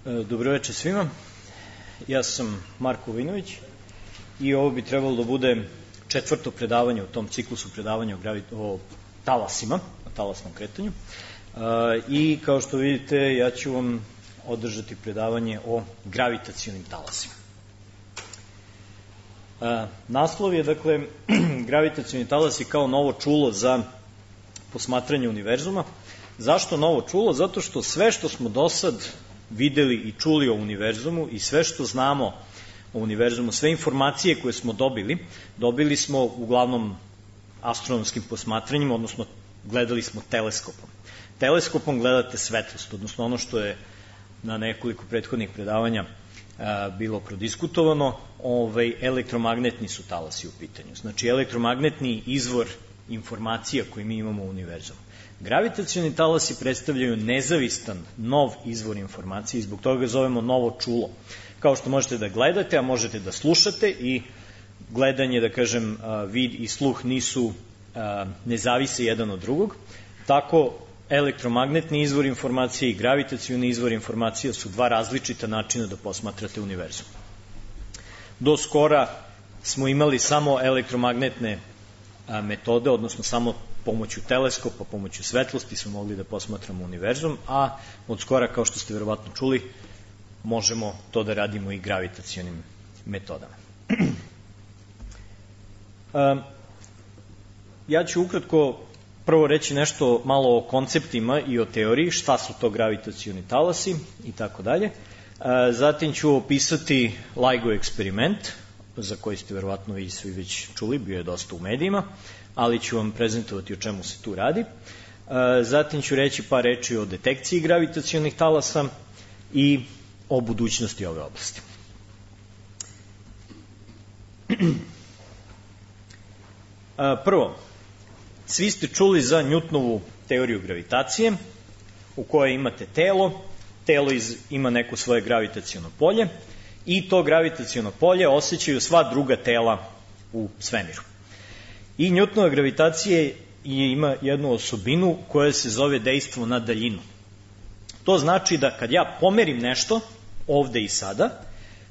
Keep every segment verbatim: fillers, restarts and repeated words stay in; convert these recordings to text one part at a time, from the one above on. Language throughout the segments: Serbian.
Dobroveče svima, ja sam Marko Vinović i ovo bi trebalo da bude četvrto predavanje u tom ciklusu predavanja o, gravi... o talasima, o talasnom kretanju. I kao što vidite, ja ću vam održati predavanje o gravitacionim talasima. Naslov je, dakle, gravitacioni talasi kao novo čulo za posmatranje univerzuma. Zašto novo čulo? Zato što sve što smo do sad videli i čuli o univerzumu i sve što znamo o univerzumu, sve informacije koje smo dobili, dobili smo uglavnom astronomskim posmatranjima, odnosno gledali smo teleskopom. Teleskopom gledate svetlost, odnosno ono što je na nekoliko prethodnih predavanja a, bilo prodiskutovano, ovaj, elektromagnetni su talasi u pitanju. Znači, elektromagnetni izvor informacija koje mi imamo u univerzumu. Gravitacioni talasi predstavljaju nezavistan, nov izvor informacije i zbog toga ga zovemo novo čulo. Kao što možete da gledate, a možete da slušate i gledanje, da kažem, vid i sluh nisu, ne zavise jedan od drugog, tako elektromagnetni izvor informacije i gravitacioni izvor informacije su dva različita načina da posmatrate univerzum. Do skora smo imali samo elektromagnetne metode, odnosno samo pomoću teleskopa, pomoću svetlosti smo mogli da posmatramo univerzum, a od skora, kao što ste verovatno čuli, možemo to da radimo i gravitacionim metodama. Ja ću ukratko prvo reći nešto malo o konceptima i o teoriji, šta su to gravitacioni talasi i tako dalje. Zatim ću opisati LIGO eksperiment, za koji ste verovatno vi svi već čuli, bio je dosta u medijima, ali ću vam prezentovati o čemu se tu radi. Zatim ću reći par reči o detekciji gravitacionih talasa i o budućnosti ove oblasti. Prvo, svi ste čuli za Newtonovu teoriju gravitacije, u kojoj imate telo, telo iz, ima neko svoje gravitaciono polje i to gravitaciono polje osjećaju sva druga tela u svemiru. I Newtonova gravitacija ima jednu osobinu koja se zove dejstvo na daljinu. To znači da kad ja pomerim nešto, ovde i sada,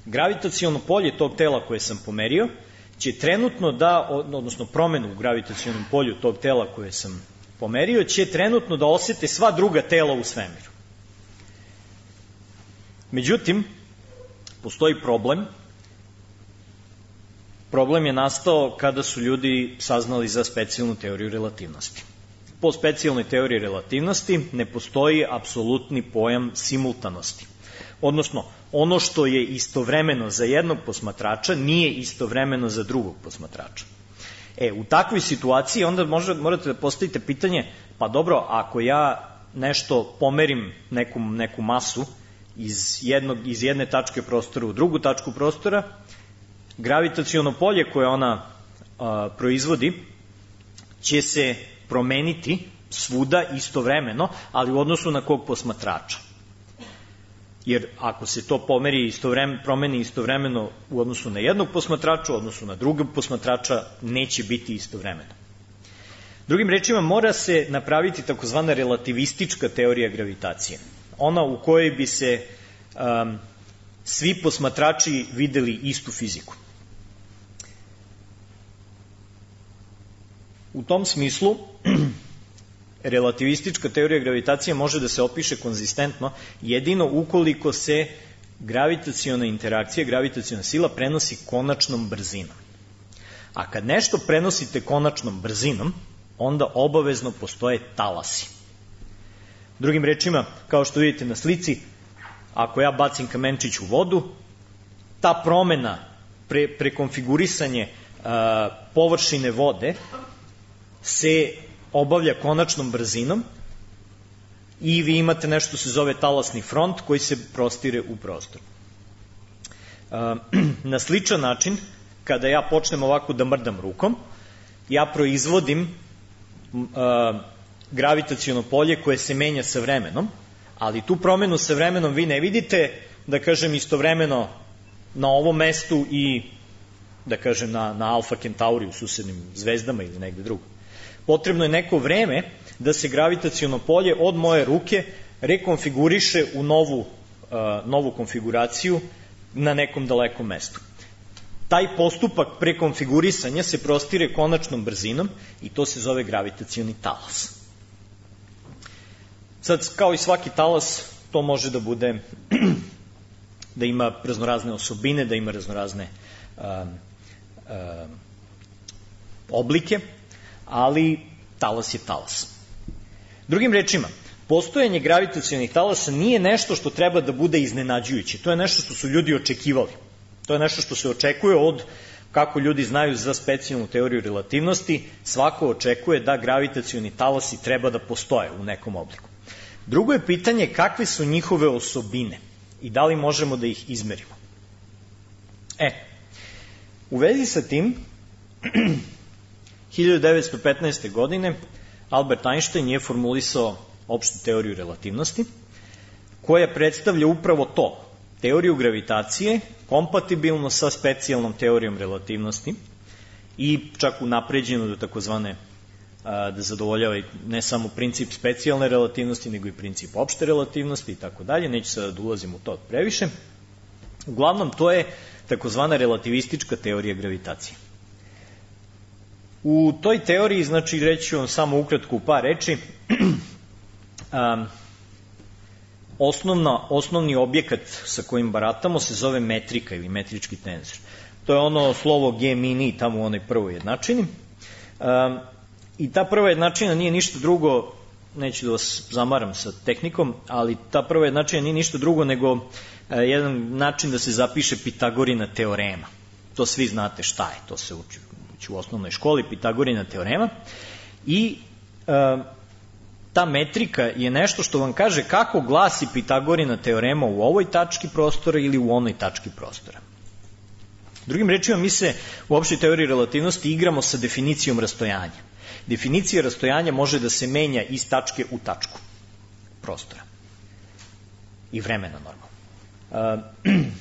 gravitaciono polje tog tela koje sam pomerio će trenutno da, odnosno promenu u gravitacionom polju tog tela koje sam pomerio, će trenutno da osete sva druga tela u svemiru. Međutim, postoji problem. Problem je nastao kada su ljudi saznali za specijalnu teoriju relativnosti. Po specijalnoj teoriji relativnosti ne postoji apsolutni pojam simultanosti. Odnosno, ono što je istovremeno za jednog posmatrača nije istovremeno za drugog posmatrača. E, u takvoj situaciji onda možda morate da postavite pitanje, pa dobro, ako ja nešto pomerim neku, neku masu iz, jednog, iz jedne tačke prostora u drugu tačku prostora, gravitaciono polje koje ona a, proizvodi će se promeniti svuda istovremeno, ali u odnosu na kog posmatrača. Jer ako se to pomeri istovremeno, promeni istovremeno u odnosu na jednog posmatrača, u odnosu na drugog posmatrača, neće biti istovremeno. Drugim rečima, mora se napraviti takozvana relativistička teorija gravitacije. Ona u kojoj bi se um, svi posmatrači videli istu fiziku. U tom smislu, relativistička teorija gravitacije može da se opiše konzistentno jedino ukoliko se gravitaciona interakcija, gravitaciona sila prenosi konačnom brzinom. A kad nešto prenosite konačnom brzinom, onda obavezno postoje talasi. Drugim rečima, kao što vidite na slici, ako ja bacim kamenčić u vodu, ta promena, pre, prekonfigurisanje a, površine vode se obavlja konačnom brzinom i vi imate nešto se zove talasni front koji se prostire u prostor. A, na sličan način, kada ja počnem ovako da mrdam rukom, ja proizvodim a, gravitaciono polje koje se menja sa vremenom, ali tu promenu sa vremenom vi ne vidite, da kažem, istovremeno na ovom mestu i, da kažem, na, na Alfa Kentauri u susednim zvezdama ili negde drugo. Potrebno je neko vreme da se gravitaciono polje od moje ruke rekonfiguriše u novu novu konfiguraciju na nekom dalekom mestu. Taj postupak prekonfigurisanja se prostire konačnom brzinom i to se zove gravitacioni talas. Sad, kao i svaki talas, to može da bude, da ima raznorazne osobine, da ima raznorazne uh, uh, oblike, ali talas je talas. Drugim rečima, postojanje gravitacionih talasa nije nešto što treba da bude iznenađujuće. To je nešto što su ljudi očekivali. To je nešto što se očekuje od, kako ljudi znaju za specijalnu teoriju relativnosti, svako očekuje da gravitacioni talasi treba da postoje u nekom obliku. Drugo je pitanje kakve su njihove osobine i da li možemo da ih izmerimo. E, u vezi sa tim, hiljadu devetsto petnaeste. godine Albert Einstein je formulisao opštu teoriju relativnosti, koja predstavlja upravo to, teoriju gravitacije, kompatibilno sa specijalnom teorijom relativnosti i čak unapređeno do takozvane da zadovoljava ne samo princip specijalne relativnosti, nego i princip opšte relativnosti i tako dalje, neću sada da ulazim u to previše. Uglavnom, to je takozvana relativistička teorija gravitacije. U toj teoriji, znači, reći vam samo ukratko u par reči, um, osnovna, osnovni objekat sa kojim baratamo se zove metrika ili metrički tenzor. To je ono slovo G mini tamo u onoj prvoj jednačini. Um, I ta prva jednačina nije ništa drugo, neću da vas zamaram sa tehnikom, ali ta prva jednačina nije ništa drugo nego uh, jedan način da se zapiše Pitagorina teorema. To svi znate šta je, to se uči u osnovnoj školi, Pitagorina teorema. I uh, ta metrika je nešto što vam kaže kako glasi Pitagorina teorema u ovoj tački prostora ili u onoj tački prostora. Drugim rečima, mi se u opštoj teoriji relativnosti igramo sa definicijom rastojanja. Definicija rastojanja može da se menja iz tačke u tačku prostora i vremena normalno. Uh,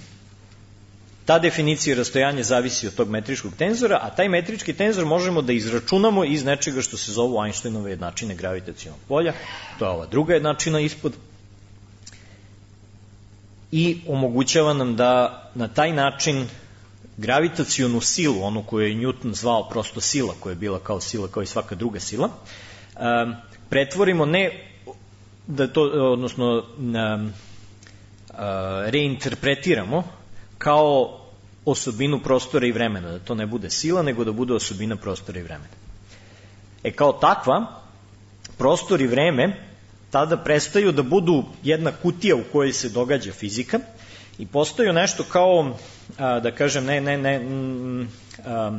ta definicija rastojanja zavisi od tog metričkog tenzora, a taj metrički tenzor možemo da izračunamo iz nečega što se zovu Einsteinove jednačine gravitacionog polja, to je ova druga jednačina ispod, i omogućava nam da na taj način gravitacionu silu, onu koju je Newton zvao prosto sila, koja je bila kao sila, kao i svaka druga sila, um, pretvorimo ne, da to, odnosno um, uh, reinterpretiramo kao osobinu prostora i vremena, da to ne bude sila, nego da bude osobina prostora i vremena. E kao takva, prostor i vreme tada prestaju da budu jedna kutija u kojoj se događa fizika i postaju nešto kao, a, da kažem, ne, ne, ne, a,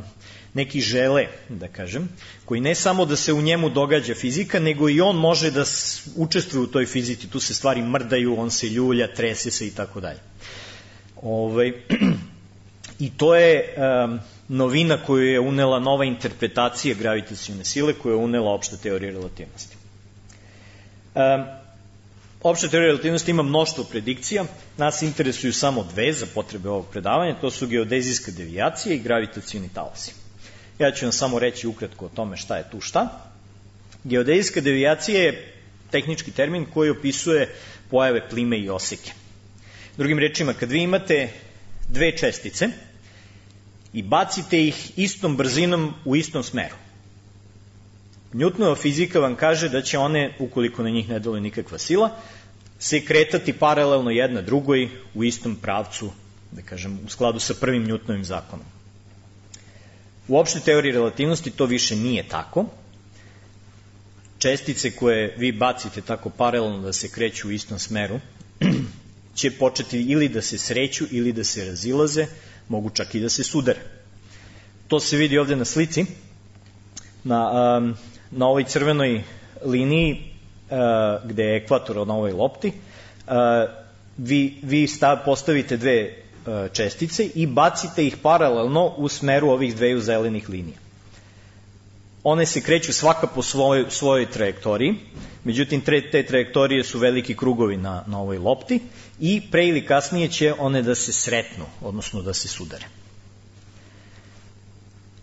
neki žele, da kažem, koji ne samo da se u njemu događa fizika, nego i on može da učestvuje u toj fizici, tu se stvari mrdaju, on se ljulja, trese se i tako dalje. Ovaj, I to je um, novina koju je unela nova interpretacija gravitacione sile, koju je unela opšta teorija relativnosti. Um, opšta teorija relativnosti ima mnoštvo predikcija, nas interesuju samo dve za potrebe ovog predavanja, to su geodezijska devijacija i gravitacioni talasi. Ja ću vam samo reći ukratko o tome šta je tu šta. Geodezijska devijacija je tehnički termin koji opisuje pojave plime i oseke. Drugim rečima, kad vi imate dve čestice i bacite ih istom brzinom u istom smeru, Newtonova fizika vam kaže da će one, ukoliko na njih ne deluje nikakva sila, se kretati paralelno jedna drugoj u istom pravcu, da kažem, u skladu sa prvim Newtonovim zakonom. U opštoj teoriji relativnosti to više nije tako. Čestice koje vi bacite tako paralelno da se kreću u istom smeru će početi ili da se sreću ili da se razilaze, mogu čak i da se sudare. To se vidi ovde na slici. Na, um, na ovoj crvenoj liniji uh, gde je ekvator na ovoj lopti, uh, vi, vi stav, postavite dve uh, čestice i bacite ih paralelno u smeru ovih dveju zelenih linija. One se kreću svaka po svojoj, svojoj trajektoriji, međutim tre, te trajektorije su veliki krugovi na, na ovoj lopti i pre ili kasnije će one da se sretnu, odnosno da se sudare.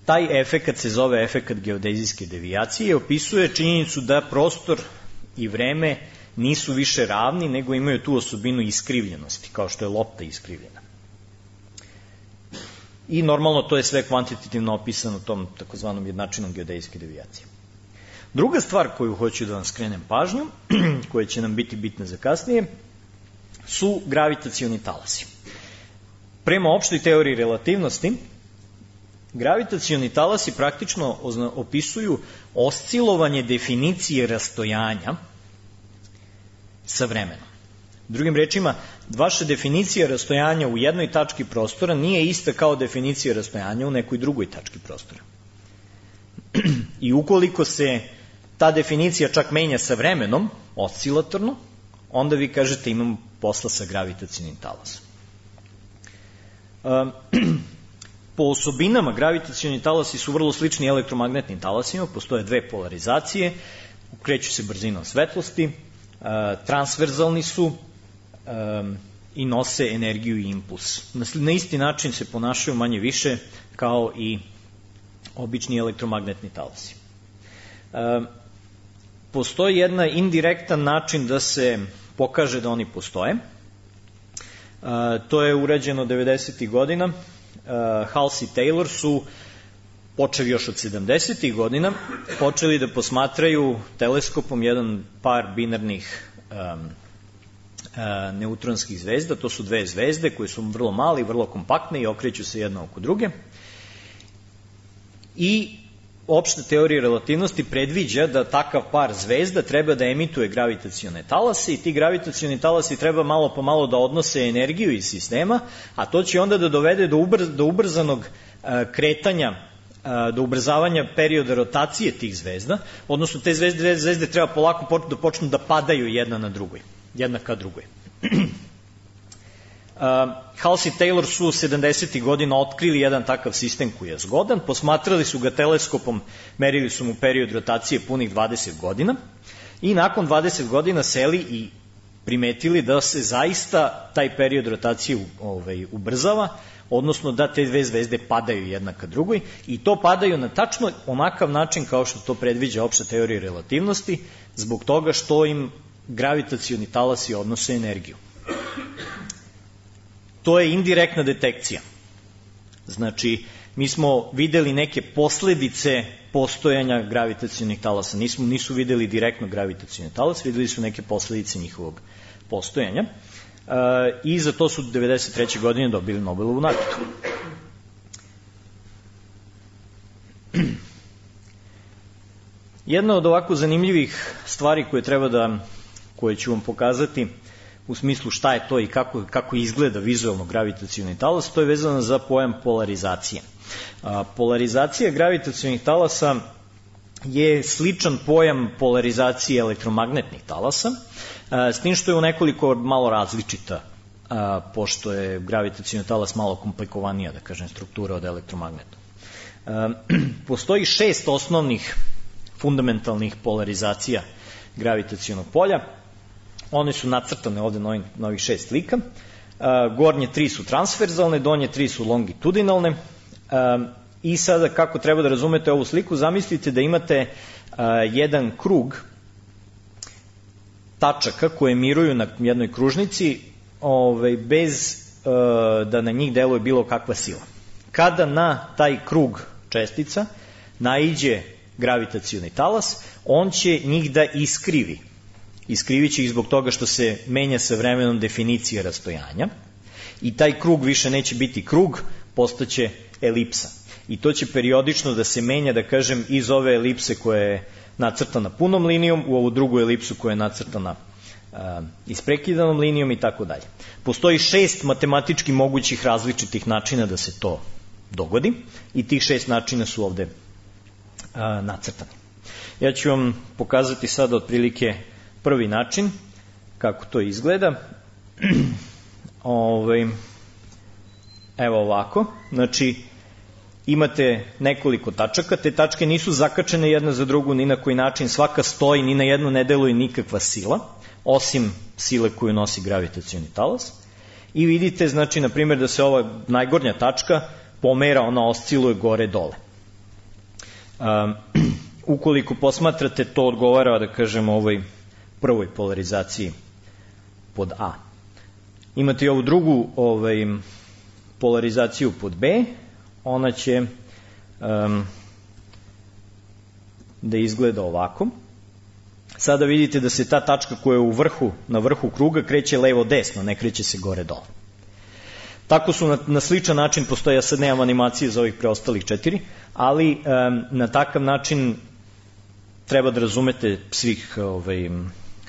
Taj efekat se zove efekat geodezijske devijacije i opisuje činjenicu da prostor i vreme nisu više ravni, nego imaju tu osobinu iskrivljenosti, kao što je lopta iskrivljena. I normalno to je sve kvantitativno opisano tom takozvanom jednačinom geodetske devijacije. Druga stvar koju hoću da vam skrenem pažnju, koja će nam biti bitna za kasnije, su gravitacioni talasi. Prema opštoj teoriji relativnosti, gravitacioni talasi praktično opisuju oscilovanje definicije rastojanja sa vremenom. Drugim rečima, vaša definicija rastojanja u jednoj tački prostora nije ista kao definicija rastojanja u nekoj drugoj tački prostora. I ukoliko se ta definicija čak menja sa vremenom, oscilatorno, onda vi kažete imamo posla sa gravitacionim talasom. Po osobinama gravitacioni talasi su vrlo slični elektromagnetnim talasima, postoje dve polarizacije, kreću se brzinom svetlosti, transverzalni su i nose energiju i impuls. Na isti način se ponašaju manje više kao i obični elektromagnetni talasi. Postoji jedan indirektan način da se pokaže da oni postoje. To je urađeno devedesetih godina. Halsey i Taylor su, počeli još od sedamdesetih godina, počeli da posmatraju teleskopom jedan par binarnih um, uh, neutronskih zvezda. To su dve zvezde koje su vrlo male i vrlo kompaktne i okreću se jedna oko druge. I opšta teorija relativnosti predviđa da takav par zvezda treba da emituje gravitacione talase i ti gravitacioni talasi treba malo po malo da odnose energiju iz sistema, a to će onda da dovede do, ubr, do ubrzanog uh, kretanja, uh, do ubrzavanja perioda rotacije tih zvezda, odnosno te zvezde, dve zvezde treba polako da počnu da padaju jedna na drugoj, jedna ka drugoj. Uh, Halsey i Taylor su sedamdesetih godina otkrili jedan takav sistem koji je zgodan, posmatrali su ga teleskopom, merili su mu period rotacije punih dvadeset godina i nakon dvadeset godina seli i primetili da se zaista taj period rotacije ovaj, ubrzava, odnosno da te dve zvezde padaju jedna ka drugoj i to padaju na tačno onakav način kao što to predviđa opšta teorija relativnosti, zbog toga što im gravitacioni talasi odnose energiju. To je indirektna detekcija. Znači, mi smo videli neke posledice postojanja gravitacionih talasa. Nismo, nisu videli direktno gravitacioni talas, videli su neke posledice njihovog postojanja. E, I za to su devedeset treće godine dobili Nobelovu nagradu. Jedna od ovako zanimljivih stvari koje treba da, koje ću vam pokazati, u smislu šta je to i kako, kako izgleda vizualno gravitacioni talas, to je vezano za pojam polarizacije. A, polarizacija gravitacionih talasa je sličan pojam polarizacije elektromagnetnih talasa, a, s tim što je u nekoliko malo različita, a, pošto je gravitacioni talas malo komplikovanija, da kažem, struktura od elektromagnetnog. A, postoji šest osnovnih fundamentalnih polarizacija gravitacionog polja. One su nacrtane ovde na, ovim, na ovih šest slika. Uh, gornje tri su transverzalne, donje tri su longitudinalne. Uh, I sada kako treba da razumete ovu sliku, zamislite da imate uh, jedan krug tačaka koje miruju na jednoj kružnici ovaj, bez uh, da na njih deluje bilo kakva sila. Kada na taj krug čestica naiđe gravitacioni talas, on će njih da iskrivi. Iskrivit će ih zbog toga što se menja sa vremenom definicija rastojanja i taj krug više neće biti krug, postaće elipsa. I to će periodično da se menja, da kažem, iz ove elipse koja je nacrtana punom linijom u ovu drugu elipsu koja je nacrtana uh, isprekidanom linijom i tako dalje. Postoji šest matematički mogućih različitih načina da se to dogodi i tih šest načina su ovde uh, nacrtani. Ja ću vam pokazati sada otprilike prvi način, kako to izgleda. Ove, evo ovako, znači imate nekoliko tačaka, te tačke nisu zakačene jedna za drugu ni na koji način, svaka stoji, ni na jednu ne deluje nikakva sila, osim sile koju nosi gravitacioni talas. I vidite, znači, na primjer, da se ova najgornja tačka pomera, ona osciluje gore-dole. Um, ukoliko posmatrate, to odgovara, da kažem, ovoj prvoj polarizaciji pod A. Imate i ovu drugu ovaj, polarizaciju pod B, ona će um, da izgleda ovako. Sada vidite da se ta tačka koja je u vrhu, na vrhu kruga kreće levo-desno, ne kreće se gore-dole. Tako su na, na sličan način, postoje, ja sad nemam animacije za ovih preostalih četiri, ali um, na takav način treba da razumete svih, ovaj,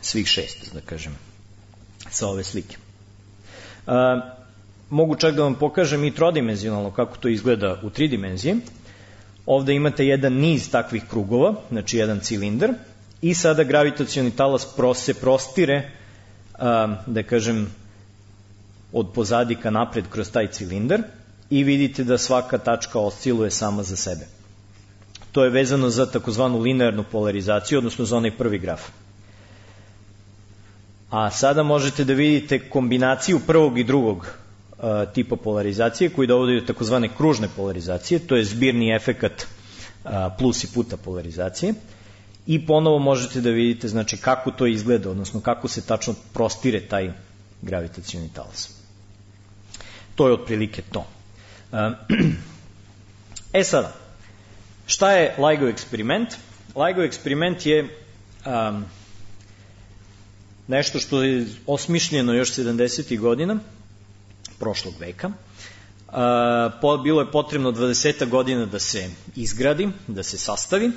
svih šest, da kažem, sa ove slike. Uh, mogu čak da vam pokažem i trodimenzionalno kako to izgleda u tri dimenzije. Ovde imate jedan niz takvih krugova, znači jedan cilindar, i sada gravitacioni talas se prostire, da kažem, od pozadi ka napred kroz taj cilindar i vidite da svaka tačka osciluje sama za sebe. To je vezano za takozvanu linearnu polarizaciju, odnosno za onaj prvi graf. A sada možete da vidite kombinaciju prvog i drugog tipa polarizacije koji dovodi do takozvane kružne polarizacije, to je zbirni efekat plus i puta polarizacije, i ponovo možete da vidite, znači, kako to izgleda, odnosno kako se tačno prostire taj gravitacioni talas. To je otprilike to. E sada, šta je LIGO eksperiment? LIGO eksperiment je um, nešto što je osmišljeno još sedamdesetih godina prošlog veka. Uh, bilo je potrebno dvadeset godina da se izgradi, da se sastavi,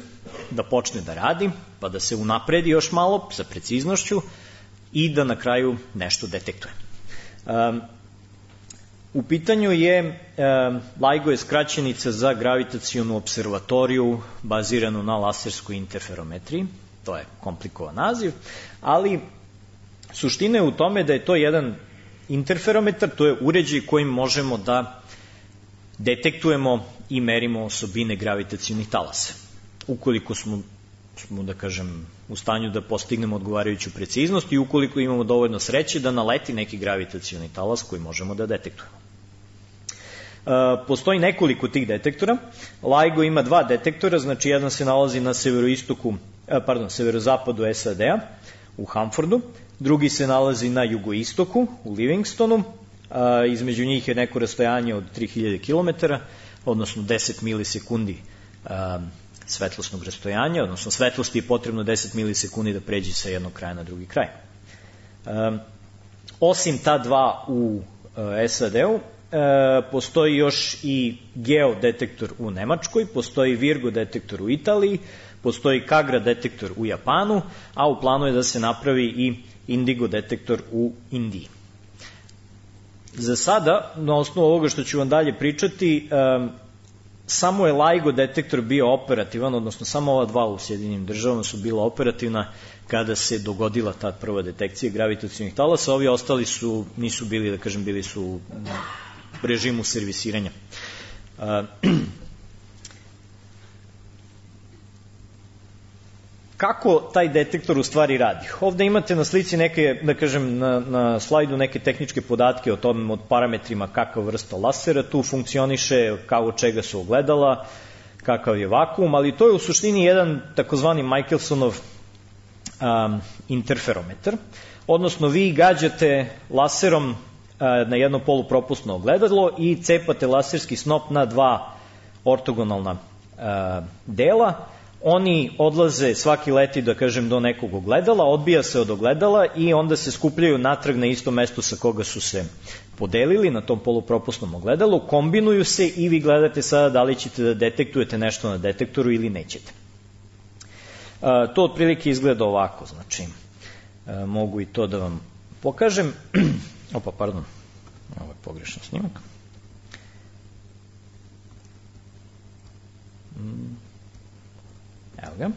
da počne da radi, pa da se unapredi još malo sa preciznošću i da na kraju nešto detektuje. Uh, u pitanju je, uh, LIGO je skraćenica za gravitacionu observatoriju baziranu na laserskoj interferometriji, to je komplikovan naziv, ali suština je u tome da je to jedan interferometar, to je uređaj kojim možemo da detektujemo i merimo osobine gravitacionih talasa. Ukoliko smo, smo, da kažem, u stanju da postignemo odgovarajuću preciznost i ukoliko imamo dovoljno sreće da naleti neki gravitacioni talas koji možemo da detektujemo. E, postoji nekoliko tih detektora. LIGO ima dva detektora, znači jedan se nalazi na severoistoku, pardon, severozapadu S A D-a, u Hanfordu, drugi se nalazi na jugoistoku, u Livingstonu, a, između njih je neko rastojanje od tri hiljade kilometara, odnosno deset milisekundi a, svetlosnog rastojanja, odnosno svetlosti je potrebno deset milisekundi da pređe sa jednog kraja na drugi kraj. A, osim ta dva u a, S A D-u, a, postoji još i geodetektor u Nemačkoj, postoji Virgo detektor u Italiji, postoji Kagra detektor u Japanu, a u planu je da se napravi i Indigo detektor u Indiji. Za sada, na osnovu ovoga što ću vam dalje pričati, um, samo je LIGO detektor bio operativan, odnosno samo ova dva u Sjedinjenim državama su bila operativna kada se dogodila ta prva detekcija gravitacionih talasa, ovi ostali su, nisu bili, da kažem, bili su u režimu servisiranja. Uh, Kako taj detektor u stvari radi? Ovde imate na slici neke, da kažem, na, na slajdu neke tehničke podatke o tom, od parametrima kakva vrsta lasera tu funkcioniše, kao od čega su ogledala, kakav je vakuum, ali to je u suštini jedan takozvani Michelsonov um, interferometar, odnosno vi gađate laserom uh, na jedno polupropusno ogledalo i cepate laserski snop na dva ortogonalna uh, dela. Oni odlaze, svaki leti, da kažem, do nekog ogledala, odbija se od ogledala i onda se skupljaju natrag na isto mesto sa koga su se podelili na tom polupropusnom ogledalu, kombinuju se i vi gledate sada da li ćete da detektujete nešto na detektoru ili nećete. To otprilike izgleda ovako, znači mogu i to da vam pokažem. Opa, pardon, ovo je pogrešan snimak. Evo ga.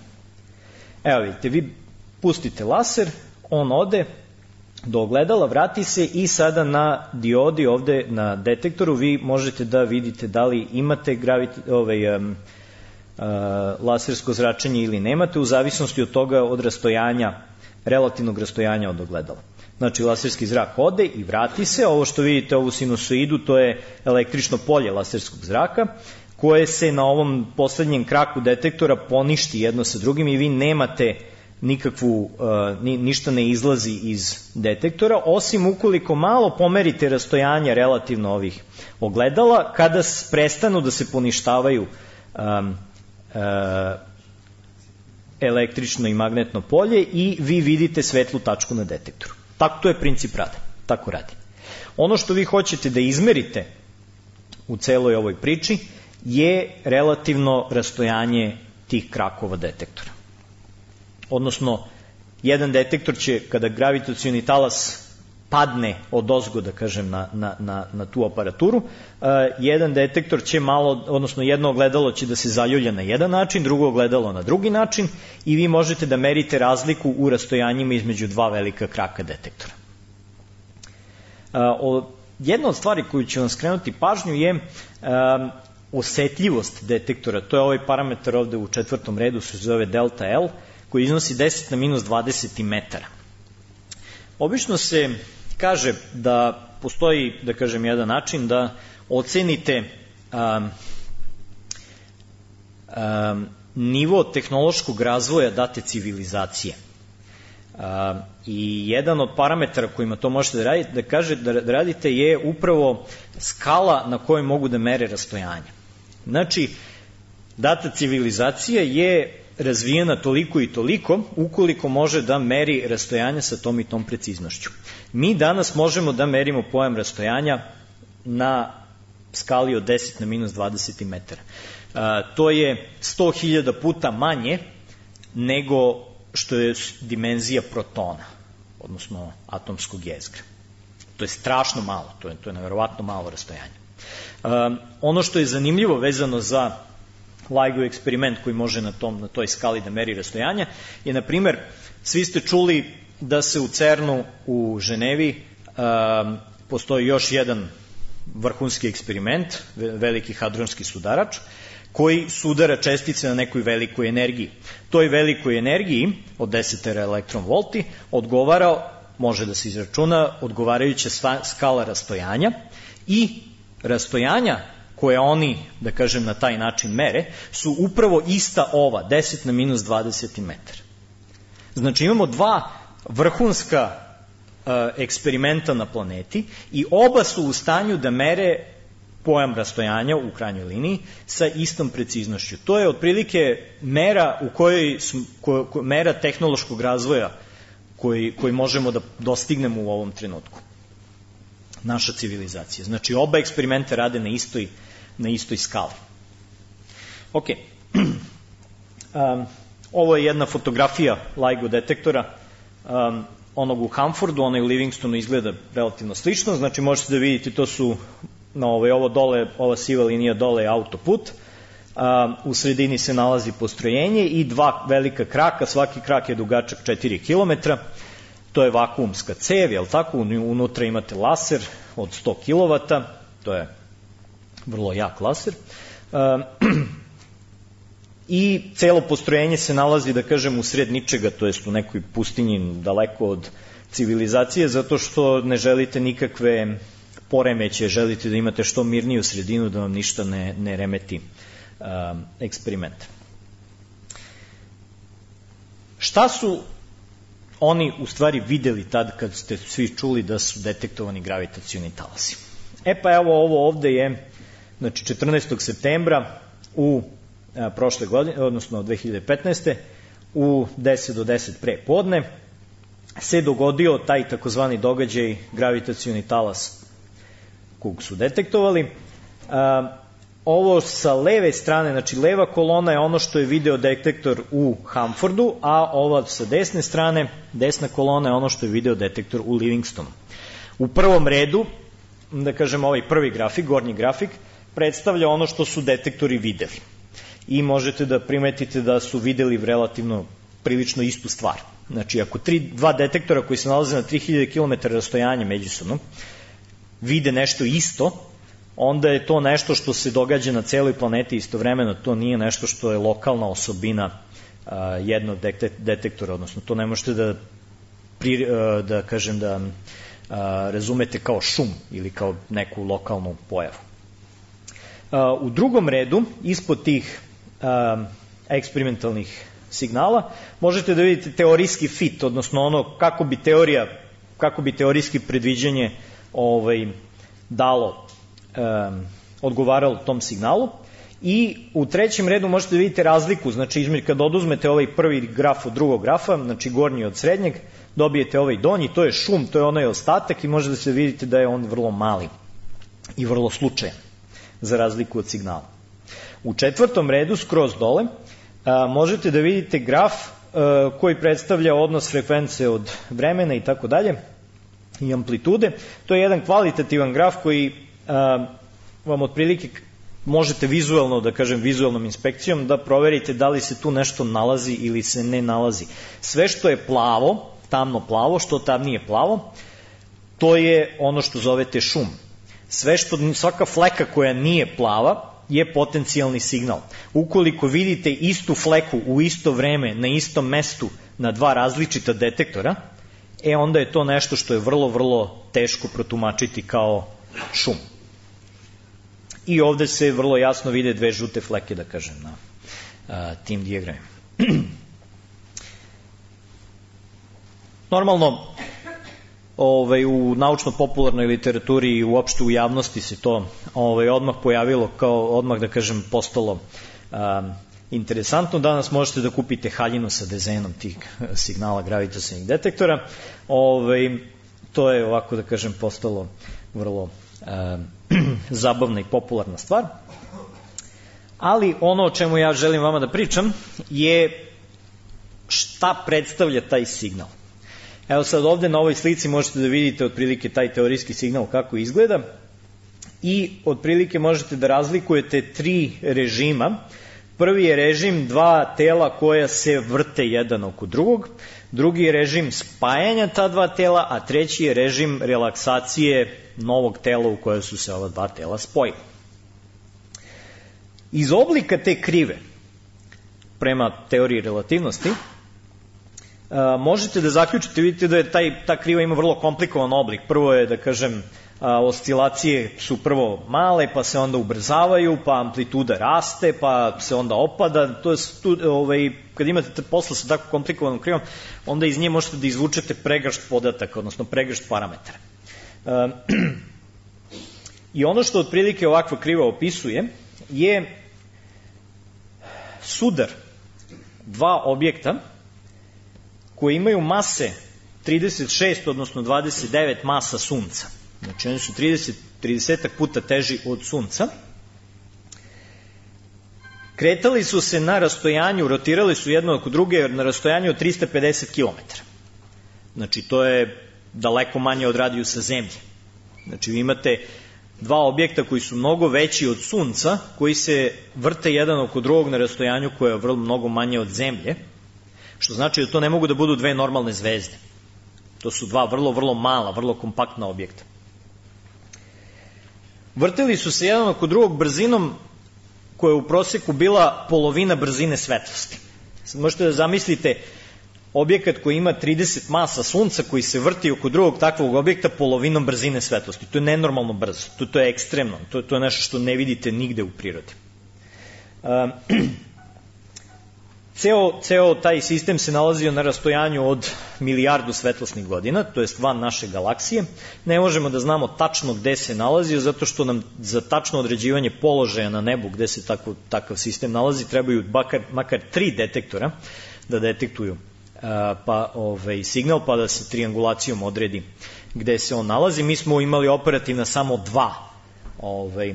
Evo vidite, vi pustite laser, on ode do ogledala, vrati se i sada na diodi ovde na detektoru vi možete da vidite da li imate gravit, ovaj, um, uh, lasersko zračenje ili nemate, u zavisnosti od toga od rastojanja, relativnog rastojanja od ogledala. Znači, laserski zrak ode i vrati se, ovo što vidite, ovu sinusoidu, to je električno polje laserskog zraka, koje se na ovom poslednjem kraku detektora poništi jedno sa drugim i vi nemate nikakvu, ni, ništa ne izlazi iz detektora, osim ukoliko malo pomerite rastojanje relativno ovih ogledala, kada prestanu da se poništavaju um, uh, električno i magnetno polje i vi vidite svetlu tačku na detektoru. Tako, to je princip rada, tako radi. Ono što vi hoćete da izmerite u celoj ovoj priči je relativno rastojanje tih krakova detektora. Odnosno, jedan detektor će, kada gravitacioni talas padne od ozgo, da kažem, na, na, na, na tu aparaturu, uh, jedan detektor će malo, odnosno jedno ogledalo će da se zaljulja na jedan način, drugo ogledalo na drugi način i vi možete da merite razliku u rastojanjima između dva velika kraka detektora. Uh, o, jedna od stvari koju ću vam skrenuti pažnju je uh, osetljivost detektora. To je ovaj parametar ovde u četvrtom redu, se zove delta L, koji iznosi deset na minus dvadeset metara. Obično se kaže da postoji, da kažem, jedan način da ocenite um, um, nivo tehnološkog razvoja date civilizacije. Um, I jedan od parametara kojima to možete da radite, da, kaže, da radite je upravo skala na kojoj mogu da mere rastojanje. Znači, data civilizacija je razvijena toliko i toliko ukoliko može da meri rastojanja sa tom i tom preciznošću. Mi danas možemo da merimo pojam rastojanja na skali od deset na minus dvadeset metara. A, to je sto hiljada puta manje nego što je dimenzija protona, odnosno atomskog jezgra. To je strašno malo, to je, to je neverovatno malo rastojanje. A, ono što je zanimljivo vezano za LIGO eksperiment koji može na, tom, na toj skali da meri rastojanja je, na primer, svi ste čuli da se u CERN-u u Ženevi um, postoji još jedan vrhunski eksperiment, veliki hadronski sudarač, koji sudara čestice na nekoj velikoj energiji. Toj velikoj energiji od deset elektron volti odgovara, može da se izračuna, odgovarajuća skala rastojanja i rastojanja koje oni, da kažem, na taj način mere, su upravo ista ova, deset na minus dvadeset metara. Znači imamo dva vrhunska uh, eksperimenta na planeti i oba su u stanju da mere pojam rastojanja u krajnjoj liniji sa istom preciznošću. To je otprilike mera u kojoj ko, ko, mera tehnološkog razvoja koji, koji možemo da dostignemo u ovom trenutku. Naša civilizacija. Znači oba eksperimenta rade na istoj na istoj skali. Ok. Um, ovo je jedna fotografija LIGO detektora, um, onog u Hanfordu, onaj u Livingstonu izgleda relativno slično, znači možete da vidite, to su, no, ovo, ovo dole, ova siva linija dole je autoput, um, u sredini se nalazi postrojenje i dva velika kraka, svaki krak je dugačak četiri kilometra, to je vakuumska cev, jel tako, unutra imate laser od sto kilovata, to je vrlo jak laser. Um, I celo postrojenje se nalazi, da kažem, u sred ničega, to jest u nekoj pustinji daleko od civilizacije, zato što ne želite nikakve poremeće, želite da imate što mirniju sredinu, da vam ništa ne, ne remeti um, eksperiment. Šta su oni u stvari videli tad kad ste svi čuli da su detektovani gravitacioni talasi? E pa evo, ovo ovde je, znači četrnaestog septembra u a, prošle godine, odnosno dve hiljade petnaeste. u deset do deset pre podne se dogodio taj takozvani događaj gravitacioni talas kog su detektovali. A, ovo sa leve strane, znači leva kolona je ono što je video detektor u Hanfordu, a ova sa desne strane, desna kolona je ono što je video detektor u Livingstonu. U prvom redu, da kažem, ovaj prvi grafik, gornji grafik, predstavlja ono što su detektori videli. I možete da primetite da su videli relativno prilično istu stvar. Znači, ako tri, dva detektora koji se nalaze na tri hiljade kilometara rastojanja međusobno vide nešto isto, onda je to nešto što se događa na celoj planeti istovremeno, to nije nešto što je lokalna osobina a, jednog detektora, odnosno to ne možete da, pri, a, da kažem, da a, razumete kao šum ili kao neku lokalnu pojavu. A, u drugom redu, ispod tih a, eksperimentalnih signala, možete da vidite teorijski fit, odnosno ono kako bi teorija, kako bi teorijski predviđanje ovaj, dalo, um, odgovaralo tom signalu. I u trećem redu možete da vidite razliku, znači između kad oduzmete ovaj prvi graf od drugog grafa, znači gornji od srednjeg, dobijete ovaj donji, to je šum, to je onaj ostatak i možete da se vidite da je on vrlo mali i vrlo slučajan, za razliku od signala. U četvrtom redu, skroz dole, a, možete da vidite graf a, koji predstavlja odnos frekvence od vremena i tako dalje i amplitude. To je jedan kvalitativan graf koji a, vam otprilike možete vizualno, da kažem vizualnom inspekcijom, da proverite da li se tu nešto nalazi ili se ne nalazi. Sve što je plavo, tamno plavo, što tamnije plavo, to je ono što zovete šum. Sve što, svaka fleka koja nije plava je potencijalni signal. Ukoliko vidite istu fleku u isto vreme na istom mestu na dva različita detektora, e onda je to nešto što je vrlo, vrlo teško protumačiti kao šum. I ovde se vrlo jasno vide dve žute fleke, da kažem, na a, tim dijagramima. Normalno, ovaj, u naučno-popularnoj literaturi i uopšte u javnosti se to ovaj, odmah pojavilo, kao odmah, da kažem, postalo a, interesantno. Danas možete da kupite haljinu sa dezenom tih signala gravitacionih detektora. Ovaj, to je, ovako da kažem, postalo vrlo a, zabavna i popularna stvar. Ali ono o čemu ja želim vama da pričam je šta predstavlja taj signal. Evo sad ovde na ovoj slici možete da vidite otprilike taj teorijski signal kako izgleda i otprilike možete da razlikujete tri režima. Prvi je režim dva tela koja se vrte jedan oko drugog, drugi je režim spajanja ta dva tela, a treći je režim relaksacije novog tela u koje su se ova dva tela spojila. Iz oblika te krive, prema teoriji relativnosti, možete da zaključite, vidite da je taj, ta kriva ima vrlo komplikovan oblik. Prvo je, da kažem, oscilacije su prvo male, pa se onda ubrzavaju, pa amplituda raste, pa se onda opada. To je, tu, ovaj, kad imate posla sa tako komplikovanom krivom, onda iz nje možete da izvučete pregršt podataka, odnosno pregršt parametara. I ono što otprilike ovakva kriva opisuje je sudar dva objekta koji imaju mase trideset šest, odnosno dvadeset devet masa Sunca. Znači oni su trideset, trideset puta teži od Sunca. Kretali su se na rastojanju, rotirali su jedno oko druge na rastojanju od trista pedeset kilometara. Znači to je daleko manje od radijusa Zemlje. Znači vi imate dva objekta koji su mnogo veći od Sunca, koji se vrte jedan oko drugog na rastojanju koje je vrlo mnogo manje od Zemlje, što znači da to ne mogu da budu dve normalne zvezde. To su dva vrlo, vrlo mala, vrlo kompaktna objekta. Vrteli su se jedan oko drugog brzinom koja je u proseku bila polovina brzine svetlosti. Sad možete da zamislite objekat koji ima trideset masa Sunca koji se vrti oko drugog takvog objekta polovinom brzine svetlosti. To je nenormalno brzo, to, to je ekstremno, to, to je nešto što ne vidite nigde u prirodi. Um, Ceo, ceo taj sistem se nalazio na rastojanju od milijardu svetlosnih godina, to jest van naše galaksije. Ne možemo da znamo tačno gde se nalazio, zato što nam za tačno određivanje položaja na nebu gde se tako, takav sistem nalazi trebaju makar, makar tri detektora da detektuju a, pa, ovaj, signal, pa da se triangulacijom odredi gde se on nalazi. Mi smo imali operativna samo dva ovaj,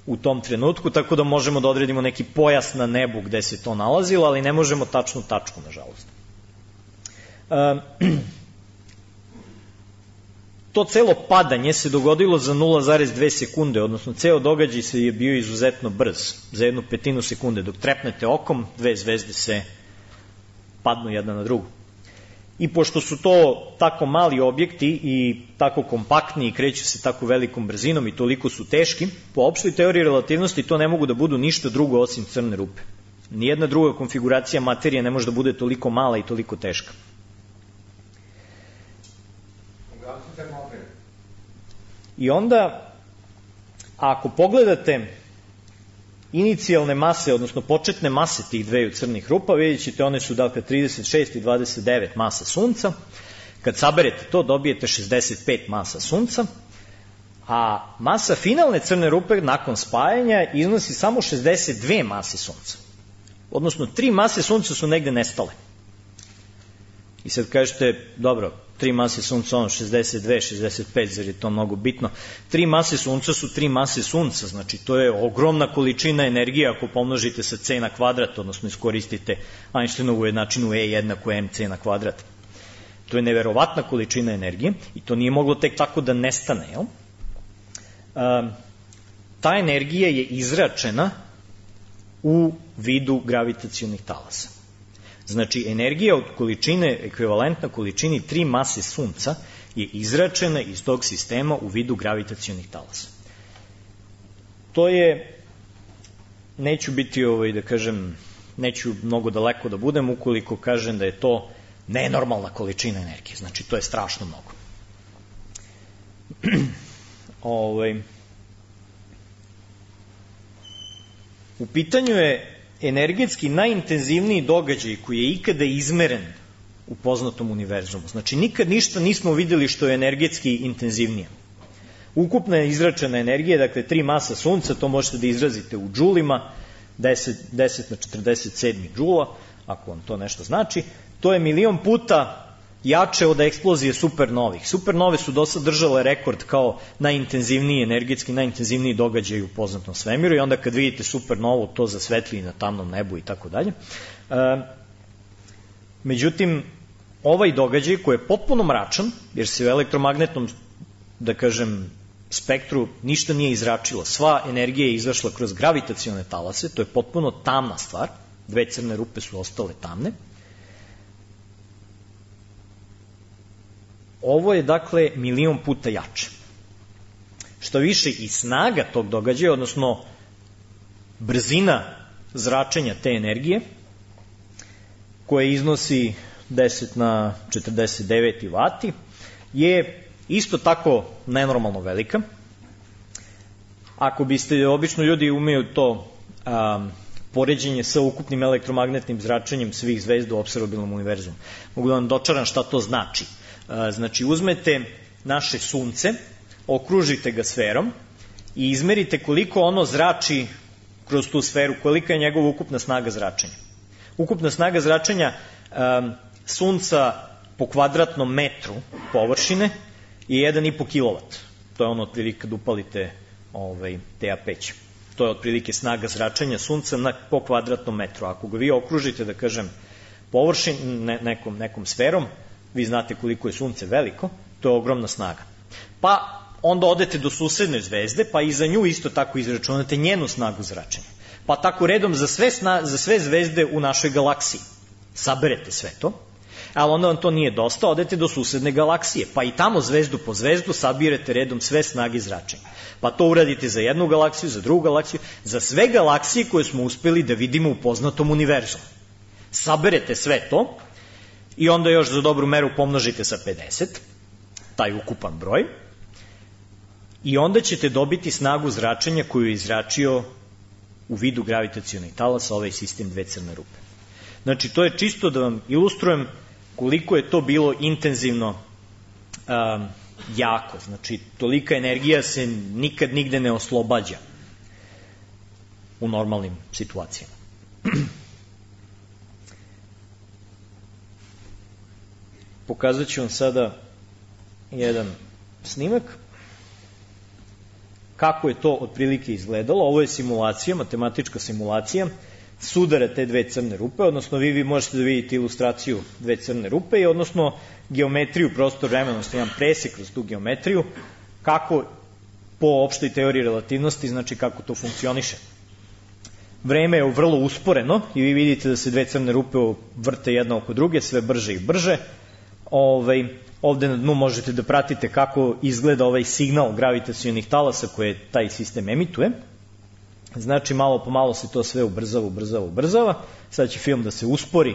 u tom trenutku, tako da možemo da odredimo neki pojas na nebu gde se to nalazilo, ali ne možemo tačnu tačku, nažalost. E, to celo padanje se dogodilo za nula zarez dve sekunde, odnosno ceo događaj se je bio izuzetno brz, za jednu petinu sekunde. Dok trepnete okom, dve zvezde se padnu jedna na drugu. I pošto su to tako mali objekti i tako kompaktni i kreću se tako velikom brzinom i toliko su teški, po opštoj teoriji relativnosti to ne mogu da budu ništa drugo osim crne rupe. Nijedna druga konfiguracija materije ne može da bude toliko mala i toliko teška. I onda, ako pogledate inicijalne mase, odnosno početne mase tih dveju crnih rupa, vidjet ćete, one su dakle trideset šest i dvadeset devet masa Sunca. Kad saberete to, dobijete šezdeset pet masa Sunca, a masa finalne crne rupe nakon spajanja iznosi samo šezdeset dve mase Sunca. Odnosno, tri mase Sunca su negde nestale. I sad kažete, dobro, tri mase Sunca, ono, šezdeset dve, šezdeset pet, zar je to mnogo bitno? Tri mase Sunca su tri mase Sunca, znači to je ogromna količina energije ako pomnožite sa c na kvadrat, odnosno iskoristite Einsteinovu jednačinu E jednako mc na kvadrat. To je neverovatna količina energije i to nije moglo tek tako da nestane, jel? Um, ta energija je izračena u vidu gravitacionih talasa. Znači, energija od količine, ekvivalentna količini tri mase Sunca je izračena iz tog sistema u vidu gravitacionih talasa. To je, neću biti, ovaj, da kažem, neću mnogo daleko da budem ukoliko kažem da je to nenormalna količina energije. Znači, to je strašno mnogo. ovaj... U pitanju je energetski najintenzivniji događaj koji je ikada izmeren u poznatom univerzumu. Znači, nikad ništa nismo videli što je energetski intenzivnije. Ukupna izračena energija, dakle, tri masa Sunca, to možete da izrazite u džulima, deset na četrdeset sedam džula, ako vam to nešto znači, to je milion puta jače od eksplozije supernovih. Supernove su do sad držale rekord kao najintenzivniji, energetski najintenzivniji događaj u poznatom svemiru i onda kad vidite supernovu, to zasvetli na tamnom nebu i tako dalje. Međutim, ovaj događaj koji je potpuno mračan, jer se u elektromagnetnom, da kažem, spektru ništa nije izračilo. Sva energija je izašla kroz gravitacione talase, to je potpuno tamna stvar, dve crne rupe su ostale tamne. Ovo je, dakle, milion puta jače. Što više i snaga tog događaja, odnosno brzina zračenja te energije, koja iznosi deset na četrdeset devet vati, je isto tako nenormalno velika. Ako biste, obično ljudi umeju to um, poređenje sa ukupnim elektromagnetnim zračenjem svih zvezda u observabilnom univerzumu. Mogu da vam dočaram šta to znači. Znači, uzmete naše Sunce, okružite ga sferom i izmerite koliko ono zrači kroz tu sferu, kolika je njegova ukupna snaga zračenja. Ukupna snaga zračenja um, Sunca po kvadratnom metru površine je jedan i po kilovat. To je ono otprilike kad upalite ovaj, te apeć. To je otprilike snaga zračenja Sunca na, po kvadratnom metru. Ako ga vi okružite, da kažem, površin, ne, nekom, nekom sferom, vi znate koliko je Sunce veliko, to je ogromna snaga. Pa onda odete do susedne zvezde, pa i za nju isto tako izračunate njenu snagu zračenja. Pa tako redom za sve, sna, za sve zvezde u našoj galaksiji. Saberete sve to, ali onda vam to nije dosta, odete do susedne galaksije, pa i tamo zvezdu po zvezdu sabirete redom sve snage zračenja. Pa to uradite za jednu galaksiju, za drugu galaksiju, za sve galaksije koje smo uspeli da vidimo u poznatom univerzumu. Saberete sve to, i onda još za dobru meru pomnožite sa pedeset, taj ukupan broj, i onda ćete dobiti snagu zračenja koju je izračio u vidu gravitacionih talasa ovaj sistem dve crne rupe. Znači, to je čisto da vam ilustrujem koliko je to bilo intenzivno um, jako. Znači, tolika energija se nikad nigde ne oslobađa u normalnim situacijama. Pokazat ću vam sada jedan snimak kako je to otprilike izgledalo. Ovo je simulacija, matematička simulacija sudara te dve crne rupe, odnosno vi, vi možete da vidite ilustraciju dve crne rupe i odnosno geometriju prostor vremena, odnosno jedan presek kroz tu geometriju, kako po opštoj teoriji relativnosti, znači kako to funkcioniše. Vreme je vrlo usporeno i vi vidite da se dve crne rupe vrte jedna oko druge, sve brže i brže. Ovaj, ovde na dnu možete da pratite kako izgleda ovaj signal gravitacionih talasa koje taj sistem emituje. Znači, malo po malo se to sve ubrzava, ubrzava, ubrzava. Sad će film da se uspori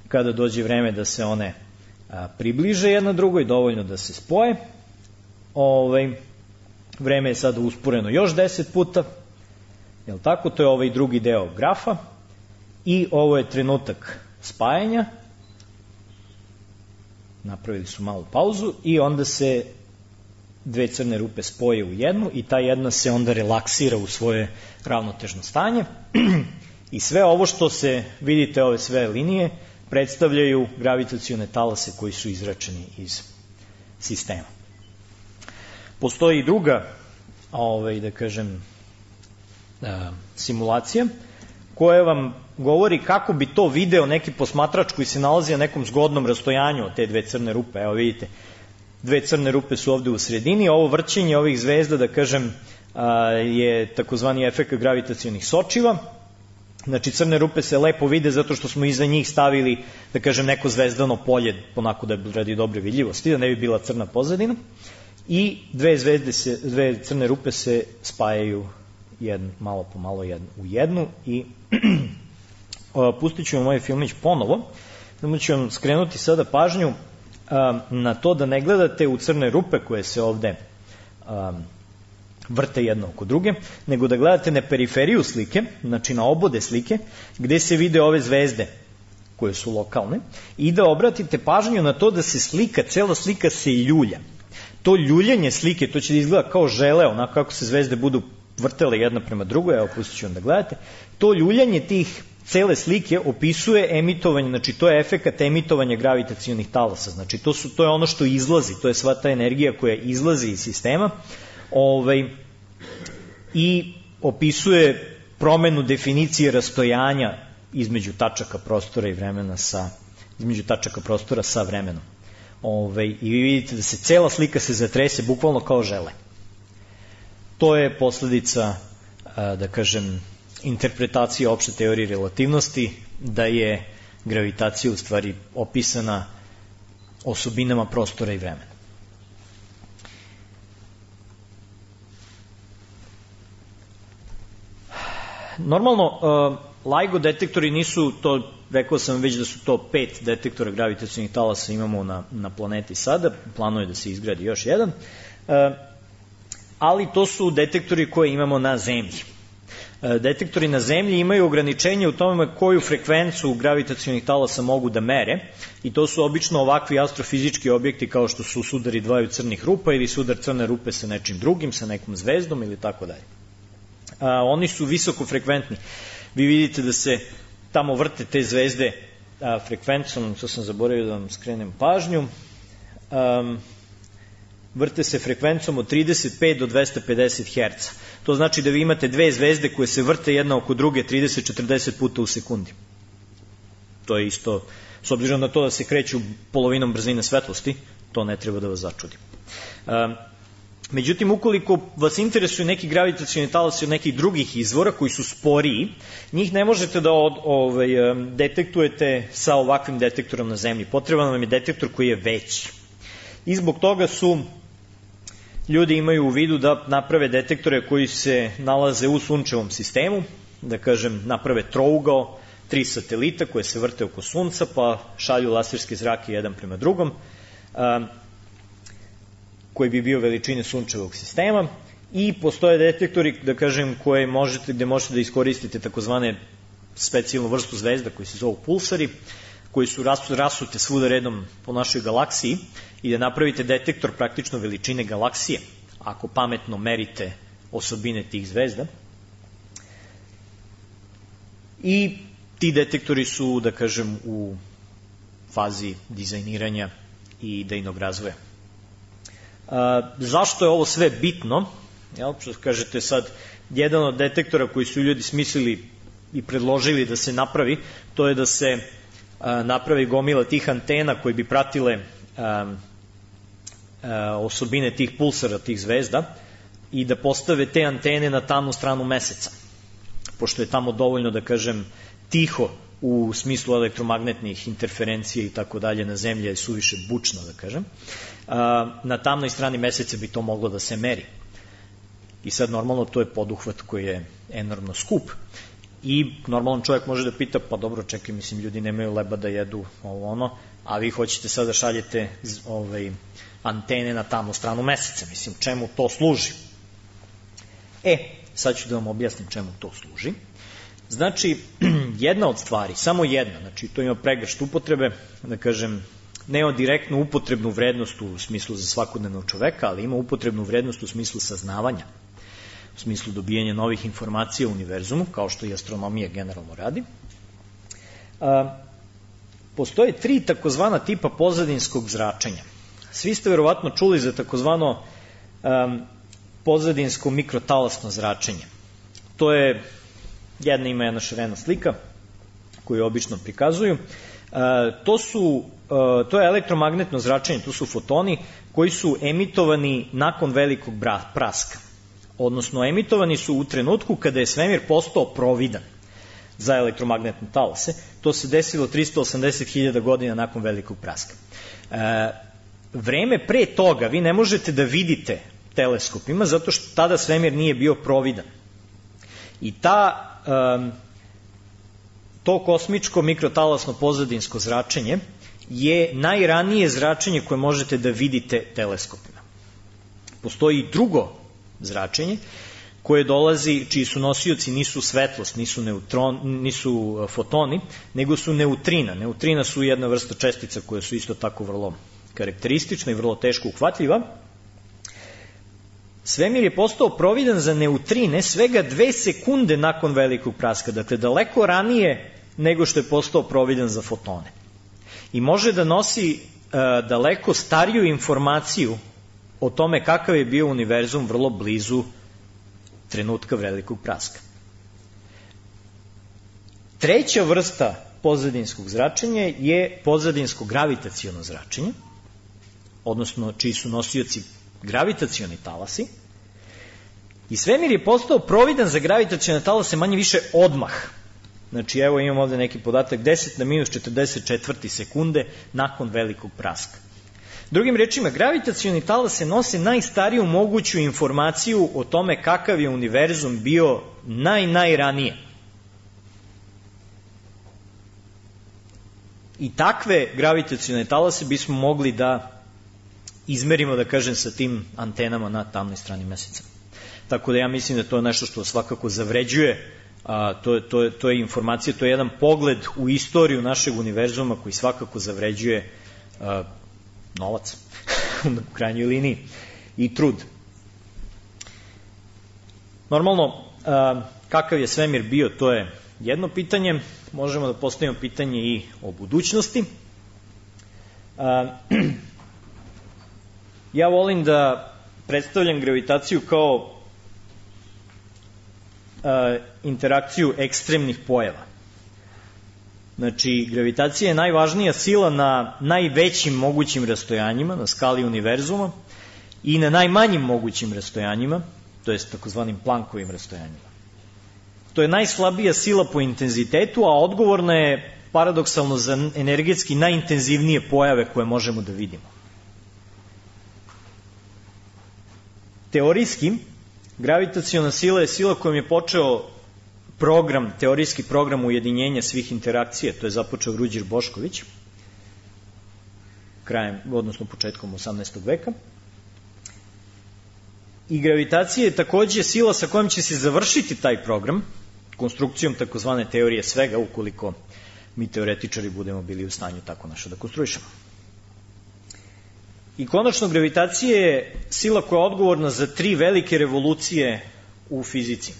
kada dođe vreme da se one a, približe jedna drugoj, dovoljno da se spoje. Ovaj, vreme je sada usporeno još deset puta. Jel tako? To je ovaj drugi deo grafa i ovo je trenutak spajanja. Napravili su malu pauzu i onda se dve crne rupe spoje u jednu i ta jedna se onda relaksira u svoje ravnotežno stanje i sve ovo što se, vidite ove sve linije, predstavljaju gravitacione talase koji su izračeni iz sistema. Postoji i druga, ovaj, da kažem, simulacija koja vam govori kako bi to video neki posmatrač koji se nalazi na nekom zgodnom rastojanju od te dve crne rupe. Evo vidite, dve crne rupe su ovde u sredini, ovo vrćenje ovih zvezda, da kažem, je takozvani efekt gravitacionih sočiva. Znači, crne rupe se lepo vide zato što smo iza njih stavili, da kažem, neko zvezdano polje, onako da radi dobre vidljivosti, da ne bi bila crna pozadina. I dve zvezde se, dve crne rupe se spajaju jedno, malo po malo jedno, u jednu i pustit ću vam ovaj filmić ponovo. Samo ću vam skrenuti sada pažnju a, na to da ne gledate u crne rupe koje se ovde a, vrte jedno oko druge, nego da gledate na periferiju slike, znači na obode slike, gde se vide ove zvezde koje su lokalne i da obratite pažnju na to da se slika, cela slika se ljulja. To ljuljanje slike, to će da izgleda kao žele, onako kako se zvezde budu vrtele jedna prema drugoj, evo pustit ću vam da gledate, to ljuljanje tih cele slike opisuje emitovanje, znači to je efekat emitovanja gravitacionih talasa, znači to, su, to je ono što izlazi, to je sva ta energija koja izlazi iz sistema, ovaj, i opisuje promenu definicije rastojanja između tačaka prostora i vremena sa, između tačaka prostora sa vremenom. Ovaj, i vi vidite da se cela slika se zatrese bukvalno kao žele. To je posledica, da kažem, interpretacije opšte teorije relativnosti, da je gravitacija u stvari opisana osobinama prostora i vremena. Normalno, LIGO detektori nisu to, rekao sam već da su to pet detektora gravitacionih talasa imamo na, na planeti sada, planuje da se izgradi još jedan, ali to su detektori koje imamo na Zemlji. Detektori na Zemlji imaju ograničenje u tome koju frekvencu gravitacionih talasa mogu da mere i to su obično ovakvi astrofizički objekti kao što su sudari dvaju crnih rupa ili sudar crne rupe sa nečim drugim, sa nekom zvezdom ili tako dalje. Oni su visoko frekventni. Vi vidite da se tamo vrte te zvezde a, frekvencom, to sam zaboravio da vam skrenem pažnju, um, vrte se frekvencom od trideset pet do dvesta pedeset herca. To znači da vi imate dve zvezde koje se vrte jedna oko druge trideset do četrdeset puta u sekundi. To je isto, s obzirom na to da se kreću polovinom brzine svetlosti, to ne treba da vas začudi. Um, Međutim, ukoliko vas interesuju neki gravitacioni talasi od nekih drugih izvora koji su sporiji, njih ne možete da od, ovaj, detektujete sa ovakvim detektorom na Zemlji. Potreban vam je detektor koji je veći. I zbog toga su ljudi imaju u vidu da naprave detektore koji se nalaze u sunčevom sistemu, da kažem, naprave trougao, tri satelita koje se vrte oko Sunca, pa šalju laserske zrake jedan prema drugom, koji bi bio veličine sunčevog sistema, i postoje detektori, da kažem, koje možete, gde možete da iskoristite takozvane specijalnu vrstu zvezda koji se zovu pulsari, koji su rasute svuda redom po našoj galaksiji i da napravite detektor praktično veličine galaksije, ako pametno merite osobine tih zvezda. I ti detektori su, da kažem, u fazi dizajniranja i idejnog razvoja. A, zašto je ovo sve bitno? Jel, kažete sad, jedan od detektora koji su ljudi smislili i predložili da se napravi, to je da se a, napravi gomila tih antena koji bi pratile a, a, osobine tih pulsara, tih zvezda, i da postave te antene na tamnu stranu Meseca, pošto je tamo dovoljno, da kažem, tiho u smislu elektromagnetnih interferencija i tako dalje, na Zemlji je suviše bučno, da kažem. Na tamnoj strani Meseca bi to moglo da se meri. I sad normalno to je poduhvat koji je enormno skup. I normalan čovjek može da pita, pa dobro, čekaj, mislim, ljudi nemaju leba da jedu ovo ono, a vi hoćete sad da šaljete ovaj, antene na tamnu stranu Meseca. Mislim, čemu to služi? E, sad ću da vam objasnim čemu to služi. Znači, jedna od stvari, samo jedna, znači to ima pregršt upotrebe, da kažem, nema direktnu upotrebnu vrednost u smislu za svakodnevnog čoveka, ali ima upotrebnu vrednost u smislu saznavanja, u smislu dobijanja novih informacija u univerzumu, kao što i astronomija generalno radi. A, postoje tri takozvana tipa pozadinskog zračenja. Svi ste verovatno čuli za takozvano um, pozadinsko mikrotalasno zračenje. To je, jedna ima jedna šarena slika koju obično prikazuju. Uh, to, su, uh, to je elektromagnetno zračenje, to su fotoni koji su emitovani nakon velikog praska. Odnosno, emitovani su u trenutku kada je svemir postao providan za elektromagnetne talase. To se desilo tristo osamdeset hiljada godina nakon velikog praska. E, vreme pre toga vi ne možete da vidite teleskopima zato što tada svemir nije bio providan. I ta, e, to kosmičko mikrotalasno pozadinsko zračenje je najranije zračenje koje možete da vidite teleskopima. Postoji i drugo zračenje koje dolazi, čiji su nosioci nisu svetlost, nisu, neutron, nisu fotoni, nego su neutrina. Neutrina su jedna vrsta čestica koje su isto tako vrlo karakteristična i vrlo teško uhvatljiva. Svemir je postao providan za neutrine svega dve sekunde nakon velikog praska, dakle daleko ranije nego što je postao providan za fotone. I može da nosi uh, daleko stariju informaciju o tome kakav je bio univerzum vrlo blizu trenutka velikog praska. Treća vrsta pozadinskog zračenja je pozadinsko gravitaciono zračenje, odnosno čiji su nosioci gravitacioni talasi. I svemir je postao providan za gravitacione talase manje više odmah. Znači, evo imam ovde neki podatak, deset na minus četrdeset četiri sekunde nakon velikog praska. Drugim rečima, gravitacioni talase nose najstariju moguću informaciju o tome kakav je univerzum bio naj, najranije. I takve gravitacione talase bismo mogli da izmerimo, da kažem, sa tim antenama na tamnoj strani meseca. Tako da ja mislim da to je nešto što svakako zavređuje, a, to, je, to, je, to je informacija, to je jedan pogled u istoriju našeg univerzuma koji svakako zavređuje a, novac u krajnjoj liniji i trud. Normalno, a, kakav je svemir bio, to je jedno pitanje. Možemo da postavimo pitanje i o budućnosti. A, ja volim da predstavljam gravitaciju kao a, interakciju ekstremnih pojava. Znači, gravitacija je najvažnija sila na najvećim mogućim rastojanjima, na skali univerzuma, i na najmanjim mogućim rastojanjima, to jest takozvanim Planckovim rastojanjima. To je najslabija sila po intenzitetu, a odgovorna je paradoksalno za energetski najintenzivnije pojave koje možemo da vidimo. Teorijski, gravitaciona sila je sila kojom je počeo program, teorijski program ujedinjenja svih interakcija, to je započeo Ruđer Bošković, krajem, odnosno početkom osamnaestog veka. I gravitacija je takođe sila sa kojom će se završiti taj program, konstrukcijom takozvane teorije svega, ukoliko mi teoretičari budemo bili u stanju tako nešto da konstruišemo. I konačno, gravitacija je sila koja je odgovorna za tri velike revolucije u fizici.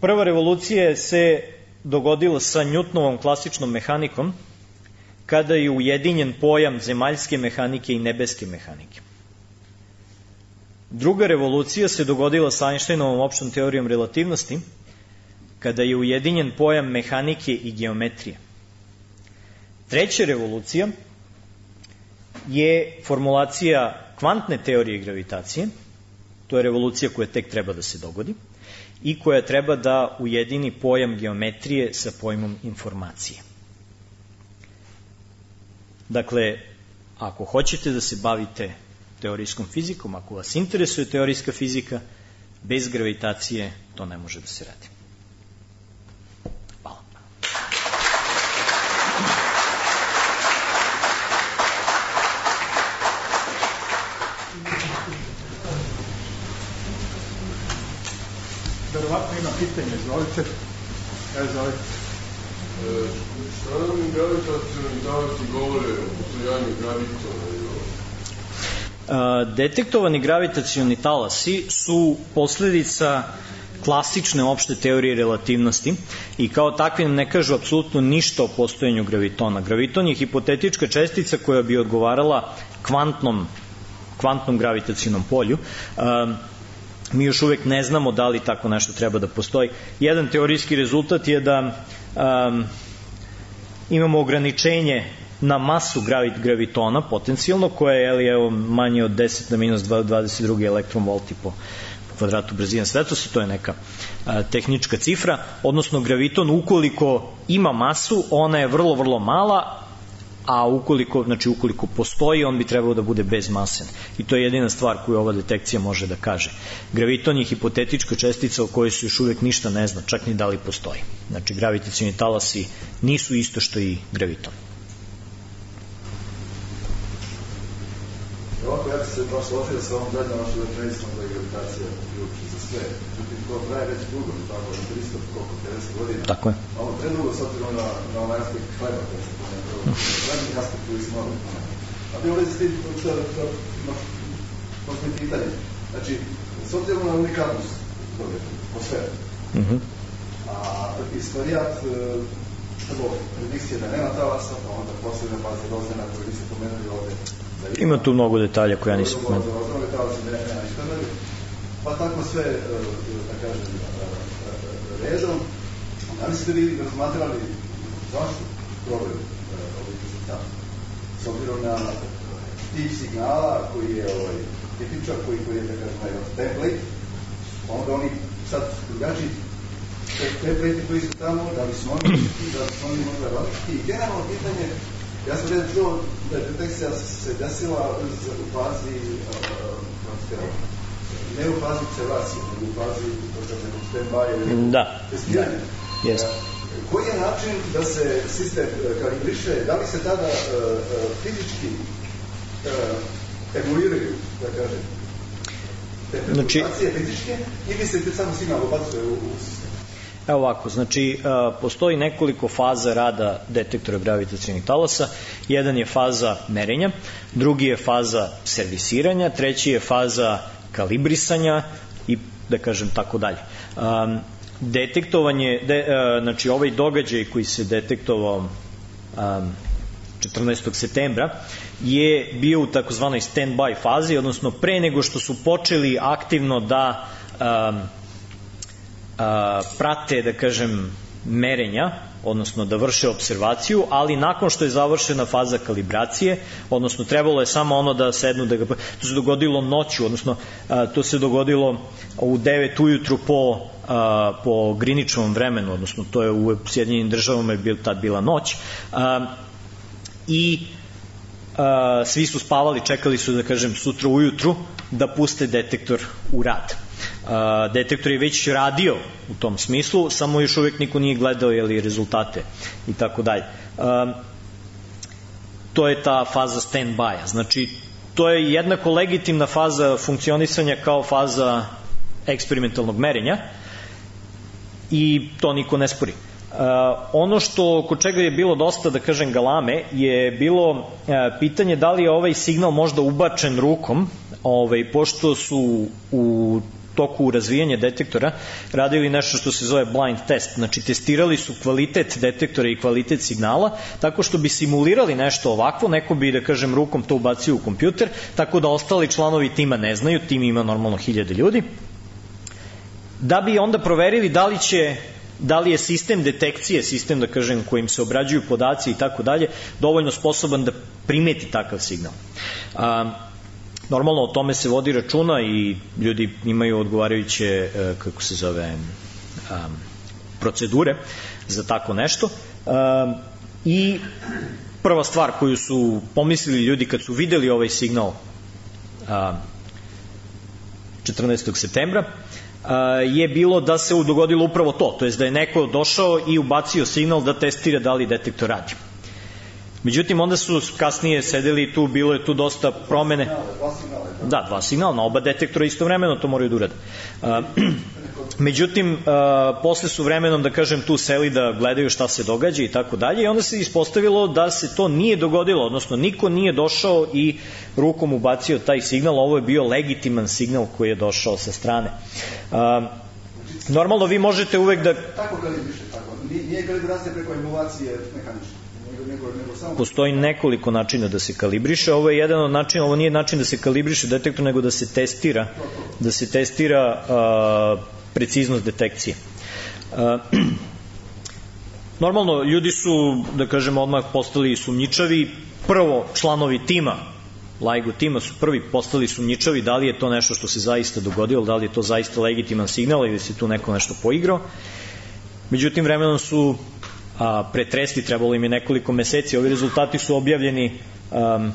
Prva revolucija se dogodila sa Newtonovom klasičnom mehanikom, kada je ujedinjen pojam zemaljske mehanike i nebeske mehanike. Druga revolucija se dogodila sa Einsteinovom opštom teorijom relativnosti, kada je ujedinjen pojam mehanike i geometrije. Treća revolucija je formulacija kvantne teorije gravitacije, to je revolucija koja tek treba da se dogodi, i koja treba da ujedini pojam geometrije sa pojmom informacije. Dakle, ako hoćete da se bavite teorijskom fizikom, ako vas interesuje teorijska fizika, bez gravitacije to ne može da se radi. Hvala. verovatno ima pitanje, izvolite. Evo, izvolite. Šta nam gravitacioni talasi govore o postojanju gravitona? Detektovani gravitacioni talasi su posledica klasične opšte teorije relativnosti i kao takvi nam ne kažu apsolutno ništa o postojanju gravitona. Graviton je hipotetička čestica koja bi odgovarala kvantnom, kvantnom gravitacionom polju. Mi još uvek ne znamo da li tako nešto treba da postoji. Jedan teorijski rezultat je da um, imamo ograničenje na masu gravitona potencijalno, koja je ali, evo, manje od deset na minus dvadeset dva elektronvolti po, po kvadratu brzine svetlosti, to je neka a, tehnička cifra, odnosno graviton ukoliko ima masu, ona je vrlo, vrlo mala, a ukoliko, znači ukoliko postoji, on bi trebao da bude bezmasan. I to je jedina stvar koju ova detekcija može da kaže. Graviton je hipotetička čestica o kojoj se još uvek ništa ne zna, čak ni da li postoji. Znači, gravitacioni talasi nisu isto što i graviton. Ovako, ja ću se baš složio sa ovom zadnjom vašoj rečenicom da je gravitacija ključ za sve. Međutim, to traje već dugo, tako da tristo, koliko, pedeset godina. Tako je. Malo predugo, s obzirom na, na onaj aspekt hleba, kada se pomenuo, zadnjih aspekt koji smo ovdje pomenuo. A bi ovdje s tim, to je pitanje. Znači, s obzirom na unikatnost toga, po sve, Mhm. a istorijat, prvo, predikcije da nema talasa, pa onda posebne baze Rozdana koje niste pomenuli ovdje. Ima tu mnogo detalja koja nisam pomenuo. Pa tako sve, da kažem, redom. Da li ste vi razmatrali zašto problem ovih rezultata? S obzirom na tip signala koji je ovaj, tipičan, koji, koji je, da kažem, template, onda oni sad drugačiji template koji su tamo, da li su oni da li su oni možda različiti. I generalno pitanje, ja sam redno čuo da je detekcija se desila u fazi uh, ne u fazi observacije, nego u fazi stand-by da, testiranja. Da, jest. Koji je način da se sistem kalibriše, da li se tada uh, uh, fizički uh, emuliraju, da kažem, te perturbacije znači, fizičke, ili se samo signal ubacuje u, u sistem? Evo ovako, znači postoji nekoliko faza rada detektora gravitacionih talasa. Jedan je faza merenja, drugi je faza servisiranja, treći je faza kalibrisanja i da kažem tako dalje. Um, detektovanje, de, uh, znači ovaj događaj koji se detektovao um, četrnaestog septembra je bio u takozvanoj stand-by fazi, odnosno pre nego što su počeli aktivno da um, a, prate, da kažem, merenja, odnosno da vrše observaciju, ali nakon što je završena faza kalibracije, odnosno trebalo je samo ono da sednu, da ga, to se dogodilo noću, odnosno a, to se dogodilo u devet ujutru po, a, po Greenwichovom vremenu, odnosno to je u Sjedinjenim državama je bil, tad bila noć, a, i a, svi su spavali, čekali su, da kažem, sutra ujutru da puste detektor u rad. Uh, detektor je već radio u tom smislu, samo još uvijek niko nije gledao jeli, rezultate i tako dalje. Uh, to je ta faza stand-by-a. Znači, to je jednako legitimna faza funkcionisanja kao faza eksperimentalnog merenja i to niko ne spori. Uh, ono što, kod čega je bilo dosta, da kažem, galame, je bilo uh, pitanje da li je ovaj signal možda ubačen rukom, ovaj, pošto su u toku razvijanja detektora radili nešto što se zove blind test. Znači, testirali su kvalitet detektora i kvalitet signala tako što bi simulirali nešto ovakvo, neko bi, da kažem, rukom to ubacio u kompjuter, tako da ostali članovi tima ne znaju, tim ima normalno hiljade ljudi, da bi onda proverili da li će da li je sistem detekcije, sistem, da kažem, kojim se obrađuju podaci i tako dalje, dovoljno sposoban da primeti takav signal. A, normalno o tome se vodi računa i ljudi imaju odgovarajuće, kako se zove, a, procedure za tako nešto. A, I prva stvar koju su pomislili ljudi kad su videli ovaj signal a, četrnaestog septembra, je bilo da se dogodilo upravo to, to jest da je neko došao i ubacio signal da testira da li detektor radi. Međutim, onda su kasnije sedeli tu, bilo je tu dosta promene. Da, dva signala, na oba detektora istovremeno to moraju da urade. Međutim, posle su vremenom, da kažem, tu seli da gledaju šta se događa i tako dalje, i onda se ispostavilo da se to nije dogodilo, odnosno niko nije došao i rukom ubacio taj signal. Ovo je bio legitiman signal koji je došao sa strane. Normalno, vi možete uvek da... Tako kalibriše, tako. Nije kalibracija preko emulacije mehanične. Postoji nekoliko načina da se kalibriše. Ovo je jedan od načina, ovo nije način da se kalibriše detektor, nego da se testira, da se testira a, preciznost detekcije. A, normalno, ljudi su, da kažem, odmah postali sumnjičavi. Prvo, članovi tima, LIGO tima su prvi postali sumnjičavi da li je to nešto što se zaista dogodilo, da li je to zaista legitiman signal ili se tu neko nešto poigrao. Međutim, vremenom su a, pretresli, trebalo im je nekoliko meseci. Ovi rezultati su objavljeni a,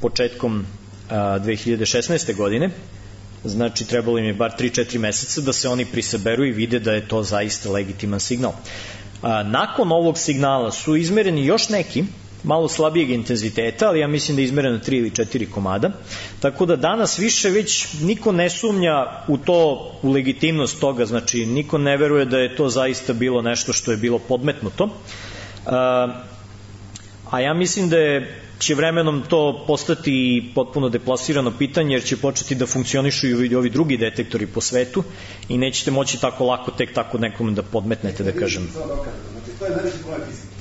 početkom a, dve hiljade šesnaeste. godine, znači trebalo im je bar tri četiri meseca da se oni prisaberu i vide da je to zaista legitiman signal. A, nakon ovog signala su izmereni još neki, malo slabijeg intenziteta, ali ja mislim da je izmereno tri ili četiri komada, tako da danas više već niko ne sumnja u to, u legitimnost toga, znači niko ne veruje da je to zaista bilo nešto što je bilo podmetnuto, a, a ja mislim da je će vremenom to postati potpuno deplasirano pitanje, jer će početi da funkcionišu i ovi drugi detektori po svetu i nećete moći tako lako tek tako nekom da podmetnete, da kažem. Znači, to je najveći problem fizike.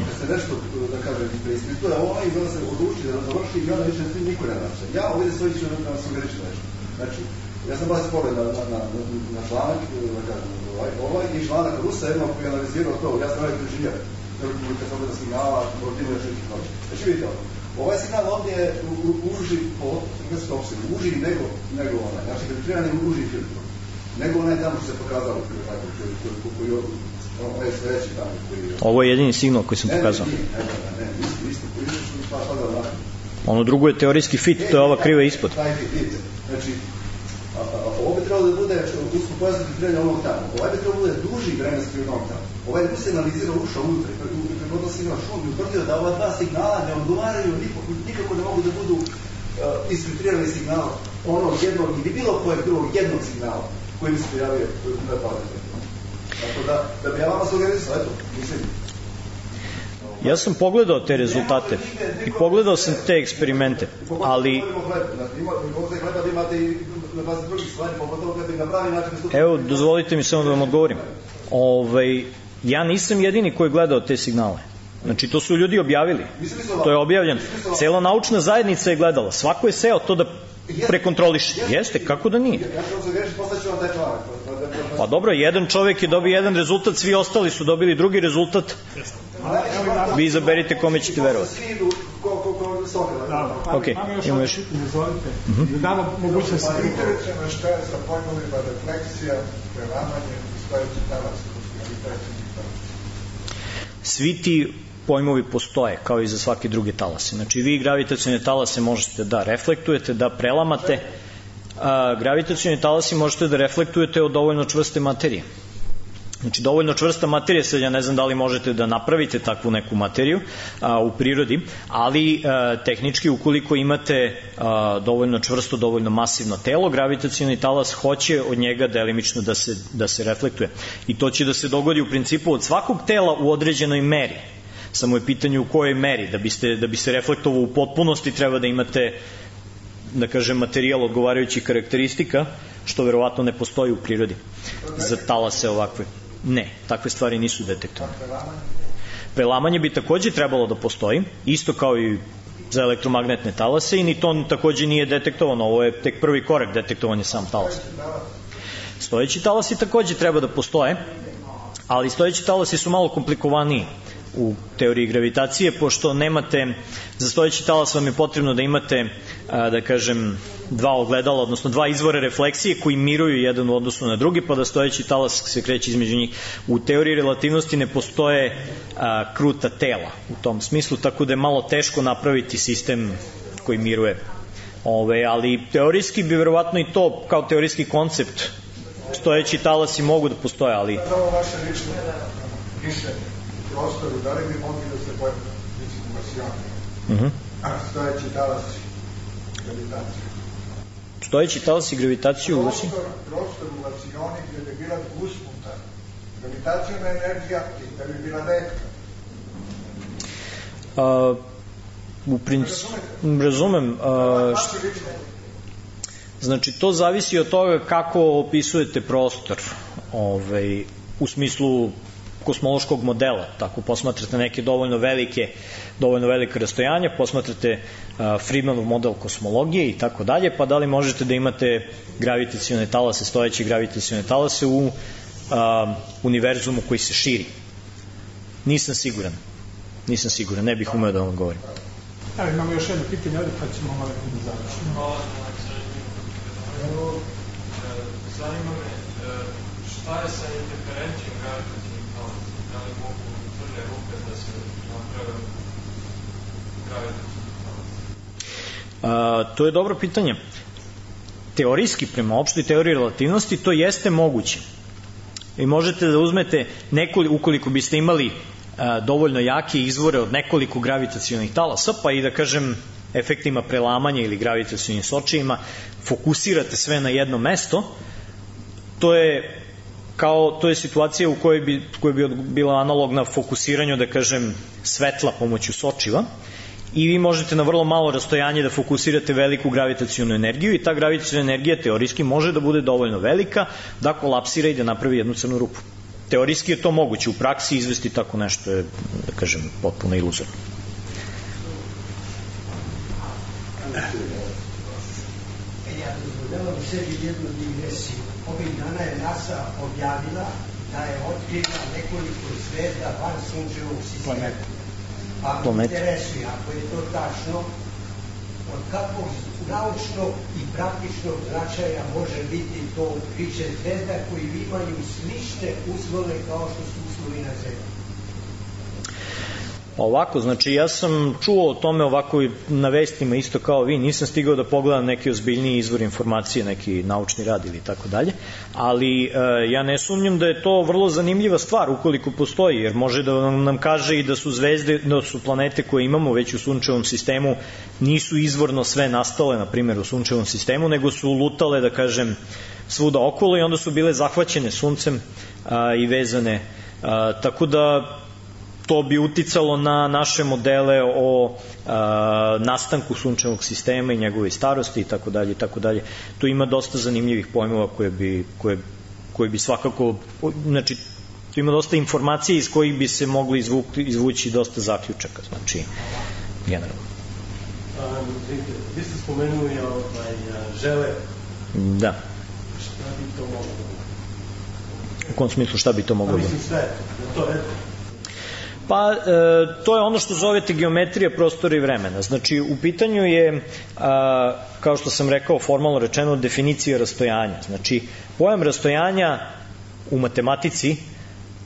Kad se nešto, da kažem, preispituje, ovo i onda se odluči da završi i onda više niko ne nače. Ja ovdje svoj ću da vam sugerišem nešto. Znači, ja sam baš spored na, na, na, na članak, da kažem, ovaj, ovaj i članak Rusa jednog koji je analizirao to, ja sam ovaj inženjer, kad sam ovdje signala, morativo još nekih noći. Znači, vidite ovo, ovaj signal ovdje je uži po ingreskom opsegu, uži nego, nego onaj, znači, filtriran je uži filtro, nego onaj tamo što se pokazalo, koji je ovo je jedini signal koji sam pokazao. Ono drugo je teorijski fit, to je ova kriva ispod. Znači, ovo bi trebalo da bude usko pojasno filtriranje onog tamo. Ovaj bi trebalo da bude duži vremenski od onog tamo. Ovaj bi se analizirao ušao unutra i prekodno signal šum i utvrdio da ova dva signala ne odgovaraju, nikako ne mogu da budu isfiltrirani signal onog jednog ili bilo kojeg drugog jednog signala koji bi se pojavio na padetu. Tako da, da bi ja vama sugerisao, eto, mislim. Ja sam pogledao te rezultate i pogledao sam te eksperimente, ali... Evo, dozvolite mi samo da vam odgovorim. Ovaj, ja nisam jedini koji je gledao te signale. Znači, to su ljudi objavili. To je objavljeno. Cela naučna zajednica je gledala. Svako je seo to da prekontroliše. Jeste, kako da nije? Pa dobro, jedan čovjek je dobio jedan rezultat, svi ostali su dobili drugi rezultat. Vi izaberite kome ćete verovati. Ok, imamo još. Da damo mogućnost. Interesujemo šta je sa pojmovima refleksija, prelamanje i stojeći talas. Svi ti pojmovi postoje, kao i za svake druge talase. Znači, vi gravitacione talase možete da reflektujete, da prelamate. A, gravitacioni talasi možete da reflektujete od dovoljno čvrste materije. Znači, dovoljno čvrsta materija, sad ja ne znam da li možete da napravite takvu neku materiju a, u prirodi, ali a, tehnički, ukoliko imate a, dovoljno čvrsto, dovoljno masivno telo, gravitacioni talas hoće od njega delimično da se, da se reflektuje. I to će da se dogodi u principu od svakog tela u određenoj meri. Samo je pitanje u kojoj meri. Da, biste, da bi se reflektovao u potpunosti, treba da imate, da kažem, materijal odgovarajućih karakteristika, što verovatno ne postoji u prirodi za talase ovakve. Ne, takve stvari nisu detektovane. Prelamanje bi takođe trebalo da postoji, isto kao i za elektromagnetne talase, i ni to takođe nije detektovano. Ovo je tek prvi korak detektovanja sam talasa. Stojeći talasi takođe treba da postoje, ali stojeći talasi su malo komplikovaniji u teoriji gravitacije, pošto nemate, za stojeći talas vam je potrebno da imate, da kažem, dva ogledala, odnosno dva izvora refleksije koji miruju jedan u odnosu na drugi, pa da stojeći talas se kreće između njih. U teoriji relativnosti ne postoje a, kruta tela u tom smislu, tako da je malo teško napraviti sistem koji miruje. Ove, ali teorijski bi verovatno i to kao teorijski koncept stojeći talasi mogu da postoje, ali... Ovo vaše lično mišljenje prostoru, da li bi mogli da se pojaviti? deformacione, Mhm. a stojeći talasi gravitacije. Stojeći talasi gravitaciju u Rusiji? Prostor, prostor u vacioni gdje bi bila dvusputa gravitacijona energija i da bi bila retka. A, u principu, razumem, a, št... znači to zavisi od toga kako opisujete prostor, ovaj, u smislu kosmološkog modela, tako posmatrate neke dovoljno velike dovoljno velike rastojanja, posmatrate uh, Friedmanov model kosmologije i tako dalje, pa da li možete da imate gravitacione talase, stojeće gravitacione talase u uh, univerzumu koji se širi. Nisam siguran. Nisam siguran, ne bih umeo da vam odgovorim. Evo, imamo još jedno pitanje ovdje, pa ćemo malo da završimo. Evo, zanima me, šta je sa interferencijom gravitacijom talasa? Da li mogu crne rupe da se naprave gravitacijom talasa? To je dobro pitanje. Teorijski, prema opštoj teoriji relativnosti, to jeste moguće. I možete da uzmete, nekoliko, ukoliko biste imali a, dovoljno jake izvore od nekoliko gravitacionih talasa, pa i da kažem efektima prelamanja ili gravitacionim sočijima, fokusirate sve na jedno mesto, to je kao, to je situacija u kojoj bi, koja bi bila analogna fokusiranju, da kažem, svetla pomoću sočiva, i vi možete na vrlo malo rastojanje da fokusirate veliku gravitacionu energiju i ta gravitaciona energija teorijski može da bude dovoljno velika da kolapsira i da napravi jednu crnu rupu. Teorijski je to moguće, u praksi izvesti tako nešto je, da kažem, potpuno iluzorno. Ja dozvoljavam sebi jednu digresiju. Ovih dana je NASA objavila da je otkrila nekoliko zvezda van sunčevog sistema. Pa me interesuje, ako je to tačno, od kakvog naučnog i praktičnog značaja može biti to otkriće zvezda koji imaju slične uslove kao što su uslovi na Zemlji? Ovako, znači ja sam čuo o tome ovako na vestima isto kao vi, nisam stigao da pogledam neki ozbiljniji izvor informacije, neki naučni rad ili tako dalje, ali e, ja ne sumnjam da je to vrlo zanimljiva stvar ukoliko postoji, jer može da nam, nam kaže i da su zvezde, da su planete koje imamo već u sunčevom sistemu nisu izvorno sve nastale, na primjer u sunčevom sistemu, nego su lutale, da kažem, svuda okolo i onda su bile zahvaćene suncem a, i vezane, a, tako da to bi uticalo na naše modele o a, nastanku sunčevog sistema i njegove starosti i tako dalje i tako dalje. Tu ima dosta zanimljivih pojmova koje bi, koje, koje bi svakako, znači tu ima dosta informacije iz kojih bi se mogli izvući, izvući dosta zaključaka, znači generalno. Um, vi ste spomenuli ovaj, žele. Da. Šta bi to moglo? U kom smislu šta bi to moglo? Pa mislim sve, da to je. Pa, e, to je ono što zovete geometrija prostora i vremena. Znači, u pitanju je, a, kao što sam rekao, formalno rečeno, definicija rastojanja. Znači, pojam rastojanja u matematici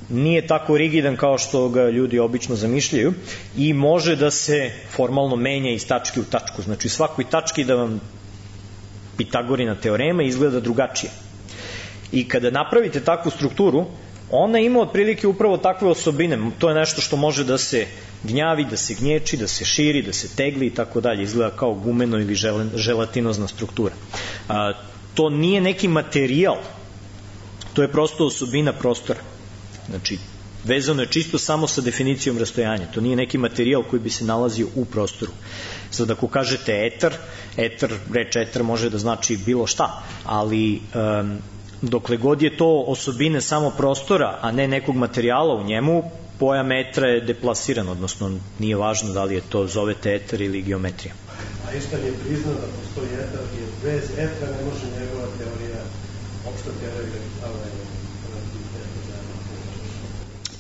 nije tako rigidan kao što ga ljudi obično zamišljaju i može da se formalno menja iz tačke u tačku. Znači, svakoj tački da vam Pitagorina teorema izgleda drugačije. I kada napravite takvu strukturu, ona ima otprilike upravo takve osobine. To je nešto što može da se gnjavi, da se gnječi, da se širi, da se tegli i tako dalje. Izgleda kao gumeno ili želatinozna struktura. A, to nije neki materijal, to je prosto osobina prostora. Znači, vezano je čisto samo sa definicijom rastojanja. To nije neki materijal koji bi se nalazio u prostoru. Sad ako kažete etar, etar, reč etar može da znači bilo šta, ali um, dokle god je to osobine samo prostora, a ne nekog materijala u njemu, pojam etra je deplasiran, odnosno nije važno da li je to zovete etar ili geometrija. A Einstein je priznao da postoji etar i bez etra ne može njegova teorija, opšta teorija relativiteta.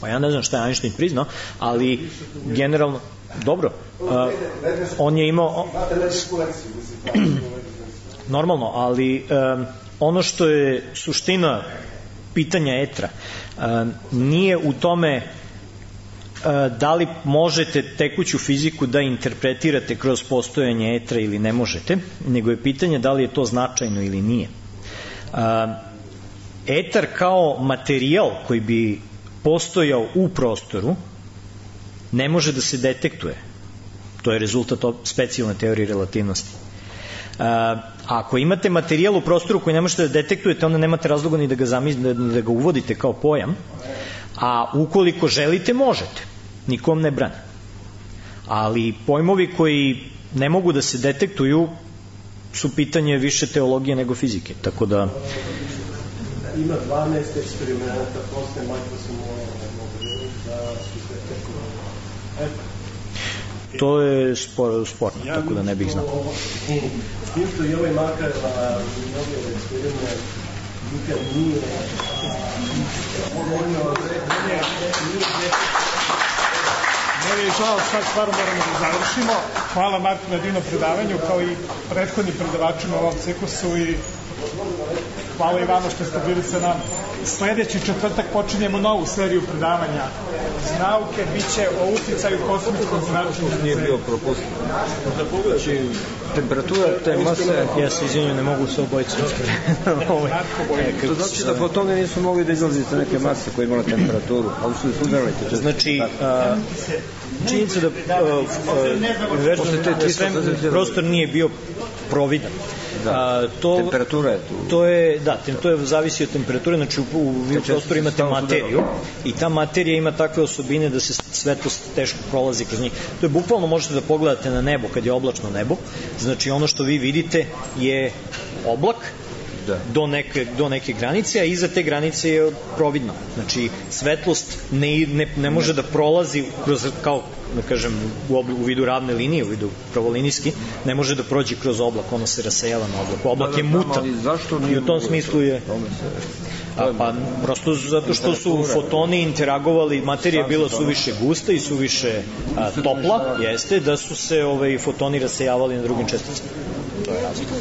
Pa ja ne znam šta je Einstein priznao, ali generalno, dobro, uh, on je imao... Normalno, ali... Um, ono što je suština pitanja etra nije u tome da li možete tekuću fiziku da interpretirate kroz postojanje etra ili ne možete, nego je pitanje da li je to značajno ili nije. Etar kao materijal koji bi postojao u prostoru ne može da se detektuje. To je rezultat specijalne teorije relativnosti. A, ako imate materijal u prostoru koji ne možete da detektujete, onda nemate razloga ni da ga, zamislite, da ga uvodite kao pojam, a ukoliko želite, možete. Nikom ne brani. Ali pojmovi koji ne mogu da se detektuju su pitanje više teologije nego fizike, tako da... Ima dvanaest eksperimenta posle Microsoft da su sve teko. To je spor, sporno, ja, tako da ne bih znao. S tim što i ovaj makar mnogo eksperiment nikad nije Meni je žao, sad stvarno moramo da završimo. Hvala Marku na divnom predavanju, kao i prethodnim predavačima u ovom ciklusu i hvala i vama što ste bili sa nama. Sledeći četvrtak počinjemo novu seriju predavanja iz nauke, bit će o uticaju kosmičkog zračenja. Nije bio propustan. Znači, temperatura te mase... Ja se izvinjam, ne mogu se obojiti. To znači da fotoni nisu mogli da izlaziti neke mase koje imala temperaturu, ali su ih udarali. Znači, činjenica da prostor nije bio providan. Da, a, to, temperatura je tu. To je, da, to je zavisi od temperature, znači u, u, u prostoru imate materiju i ta materija ima takve osobine da se svetlost teško prolazi kroz njih. To je bukvalno, možete da pogledate na nebo kad je oblačno nebo, znači ono što vi vidite je oblak, da. Do, neke, do neke granice, a iza te granice je providno. Znači, svetlost ne, ne, ne može da prolazi kroz, kao, da kažem, u, obl, u vidu ravne linije, u vidu pravolinijski, ne može da prođe kroz oblak, ono se rasejava na oblak. Oblak je mutan i u tom smislu je... A, pa, prosto zato što su fotoni interagovali, materija je bila suviše gusta i suviše a, topla, jeste, da su se ovaj, fotoni rasejavali na drugim česticama. To je razlika.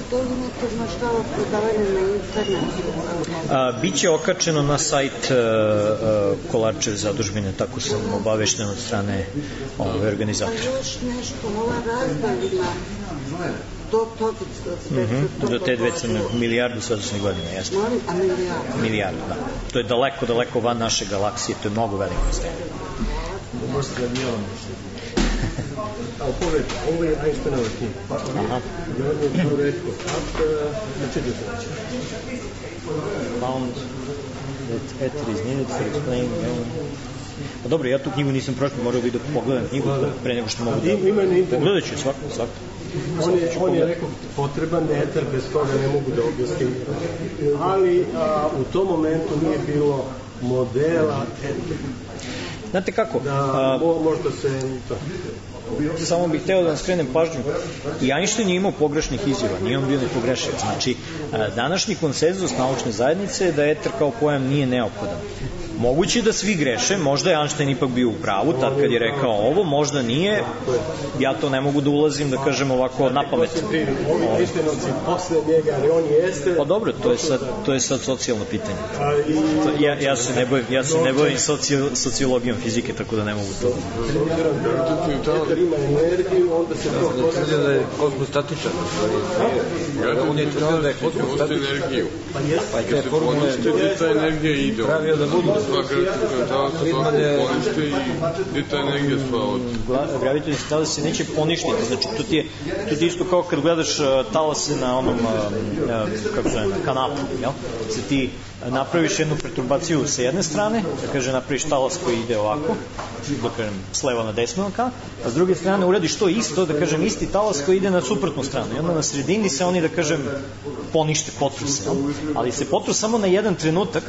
Biće okačeno na sajt Kolarčev zadužbine, tako sam obavešten od strane ove organizatora. A još nešto, ova razdalina do toga... Mm-hmm. Do te dve crne, milijardu svetlosnih godina, jeste. Molim, a milijardu? Milijardu, da. To je daleko, daleko van naše galaksije, to je mnogo veliko stanje. Možete da nije on. Ali pogled, ovo je Einsteinova knjiga. Aha. I on je to rekao, na četiri znači. Found that ether is needed for explaining... Pa dobro, ja tu knjigu nisam prošao, morao bih da pogledam knjigu pre nego što mogu da... Ima na internetu. Pogledat ću svako, svako. On je, on je rekao, potreban eter, bez toga ne mogu da objasnim. Ali a, u tom momentu nije bilo modela etera. Znate kako? Da, a, možda se... Samo bih hteo da vam skrenem pažnju. I Einstein je imao pogrešnih izjava, nije on bio nepogrešiv. Znači, današnji konsenzus naučne zajednice je da eter kao pojam nije neophodan. Moguće da svi greše, možda je Einstein ipak bio u pravu, tad kad je rekao ovo, možda nije, ja to ne mogu da ulazim, da kažem ovako na pamet. Ovi Einsteinovci posle njega, ali on jeste... Pa dobro, to je sad, to je sad socijalno pitanje. Ja, ja se ne bojim, ja se ne bojim socio, sociologijom fizike, tako da ne mogu to. Eter ima energiju, onda se to... On je tvrdio da je kosmostatičan. On je tvrdio da je kosmostatičan. Pa jeste. Pa te formule... Gde ta energija ide? Pravio da budu... Sva gravitacijna talasa svako ponište i gde ta energija sva od... Gravitacijna talasa se neće poništiti, znači to ti je, to ti je isto kao kad gledaš uh, talase na onom, uh, uh, kako se na kanapu, jel? Se ti napraviš jednu perturbaciju sa jedne strane, da kaže napraviš talas koji ide ovako, da kažem s leva na desno, a s druge strane uradiš to isto, da kažem isti talas koji ide na suprotnu stranu i onda na sredini se oni, da kažem, ponište, potru se, ali se potru samo na jedan trenutak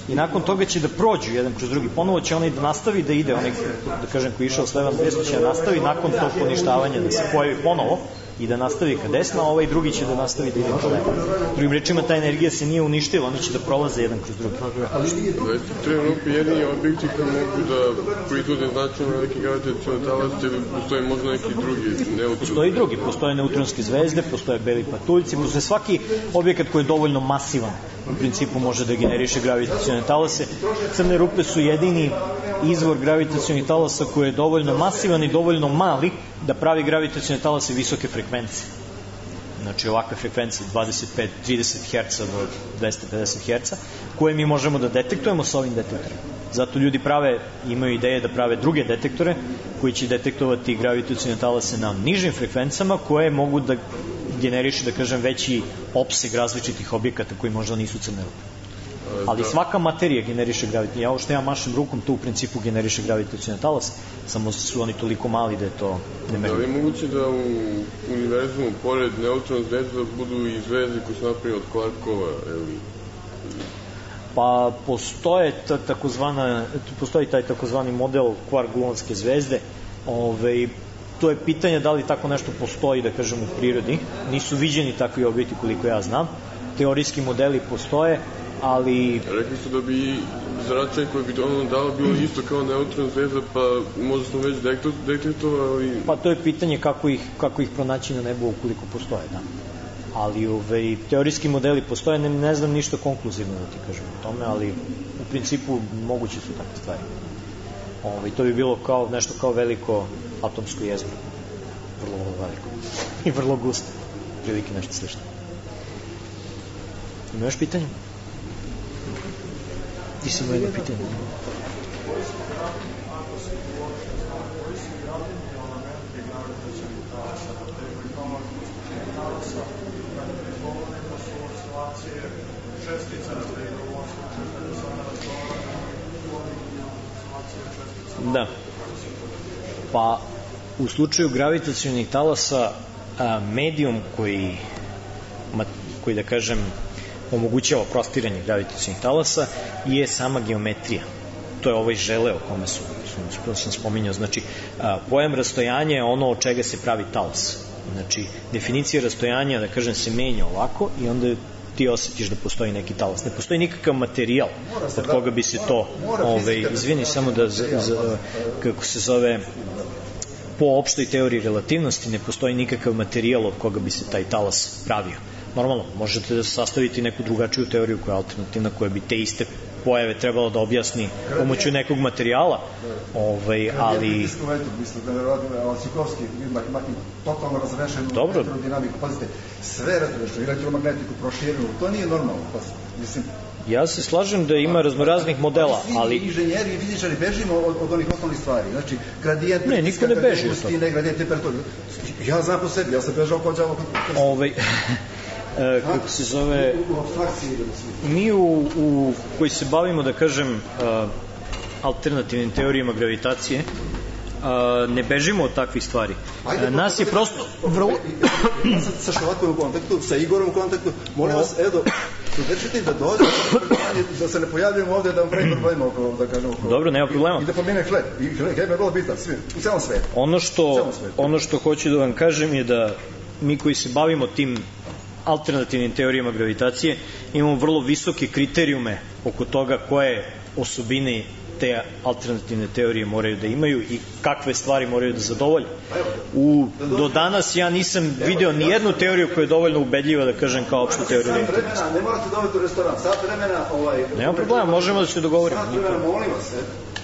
i nakon toga će da prođu jedan kroz drugi. Ponovo će onaj da nastavi da ide, onaj, da kažem, koji je išao s leva na desno će da nastavi nakon tog poništavanja da se pojavi ponovo i da nastavi ka desno, a ovaj drugi će da nastavi da ide ka levo. Drugim rečima, ta energija se nije uništila, oni će da prolaze jedan kroz drugi. Trenutno jedini objekti koji mogu da proizvode značajno neki gravitacioni talas ili postoje možda neki drugi neutroni? Postoje i drugi, postoje neutronske zvezde, postoje beli patuljci, postoje svaki objekat koji je dovoljno masivan u principu može da generiše gravitacione talase. Crne rupe su jedini izvor gravitacionih talasa koji je dovoljno masivan i dovoljno mali da pravi gravitacione talase visoke frekvencije. Znači ovakve frekvencije dvadeset pet do trideset herca do dvesta pedeset herca koje mi možemo da detektujemo sa ovim detektorima. Zato ljudi prave, imaju ideje da prave druge detektore koji će detektovati gravitacione talase na nižim frekvencama koje mogu da generiše, da kažem, veći opseg različitih objekata koji možda nisu crne rupe. Ali svaka materija generiše gravitacione. Ja ovo što ja mašem rukom, to u principu generiše gravitacione talase, samo su oni toliko mali da je to nemerljivo. Da li je moguće da u univerzumu, pored neutron zvezda, budu i zvezde koje su napravljene od kvarkova, ili... Pa postoje ta, takozvana, postoji taj takozvani model kvark-gluonske zvezde. Ove, to je pitanje da li tako nešto postoji, da kažem, u prirodi. Nisu viđeni takvi objekti koliko ja znam. Teorijski modeli postoje, ali... Rekli su da bi zračaj koji bi ono dao bilo isto kao neutron zvezda, pa možda smo već detektovali... Pa to je pitanje kako ih, kako ih pronaći na nebu ukoliko postoje, da. Ali ove, teorijski modeli postoje, ne, ne znam ništa konkluzivno da ti kažem o tome, ali u principu moguće su takve stvari. Ove, to bi bilo kao nešto kao veliko atomsko jezero. Vrlo, vrlo veliko. I vrlo gusto. Prilike nešto slično. Ima još pitanje? Ti si imao jedno pitanje. Da. Pa u slučaju gravitacionih talasa a, medijum koji, ma, koji da kažem omogućava prostiranje gravitacionih talasa je sama geometrija. To je ovaj žele o kome su, su, sam spominjao. Znači, a, pojam rastojanja je ono od čega se pravi talas. Znači, definicija rastojanja, da kažem, se menja ovako i onda ti osjetiš da postoji neki talas. Ne postoji nikakav materijal od koga bi se to, ove, izvini, samo da, z, z, kako se zove, po opštoj teoriji relativnosti ne postoji nikakav materijal od koga bi se taj talas pravio. Normalno, možete da sastaviti neku drugačiju teoriju koja je alternativna, koja bi te iste pojave trebalo da objasni pomoću nekog materijala, ovaj, ali... Mislim da je Cikovski ima totalno razrešenu elektrodinamiku. Pazite, sve razrešeno, elektromagnetiku proširenu, to nije normalno. Mislim, ja se slažem da ima raznoraznih modela, ali... Svi inženjeri i fizičari bežimo od, od onih osnovnih stvari. Znači, gradijent... Ne, niko ne beži od toga. Gradijent temperature. Ja znam po sebi, ja sam bežao kod džavo... Ovaj... E, kako se zove, mi u, u koji se bavimo, da kažem, a, alternativnim teorijama gravitacije, a, ne bežimo od takvih stvari. A, nas je prosto vrlo... Ja sam sa Šalakom u kontaktu, sa Igorom u kontaktu, molim vas, Edo, sudečite da dođe, da se ne pojavljujemo ovde, da vam pravim problema oko, da kažem, oko... Dobro, nema problema. I da pomene hleb. I hleb je vrlo bitan, svi, u celom svetu. Ono što, ono što hoću da vam kažem je da mi koji se bavimo tim alternativnim teorijama gravitacije imamo vrlo visoke kriterijume oko toga koje osobine te alternativne teorije moraju da imaju i kakve stvari moraju da zadovolje. U, do danas ja nisam video ni jednu teoriju koja je dovoljno ubedljiva da kažem kao opštu teoriju. Sat vremena, ne morate dobiti u restoran, sat vremena... Ovaj, nema problema, možemo da se dogovorimo. Sat vremena, molim vas.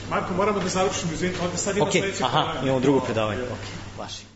Marko, moramo da završimo, izvinite, ovdje sad ima okay, sledeće aha, imamo drugo predavanje. Ok, vaši.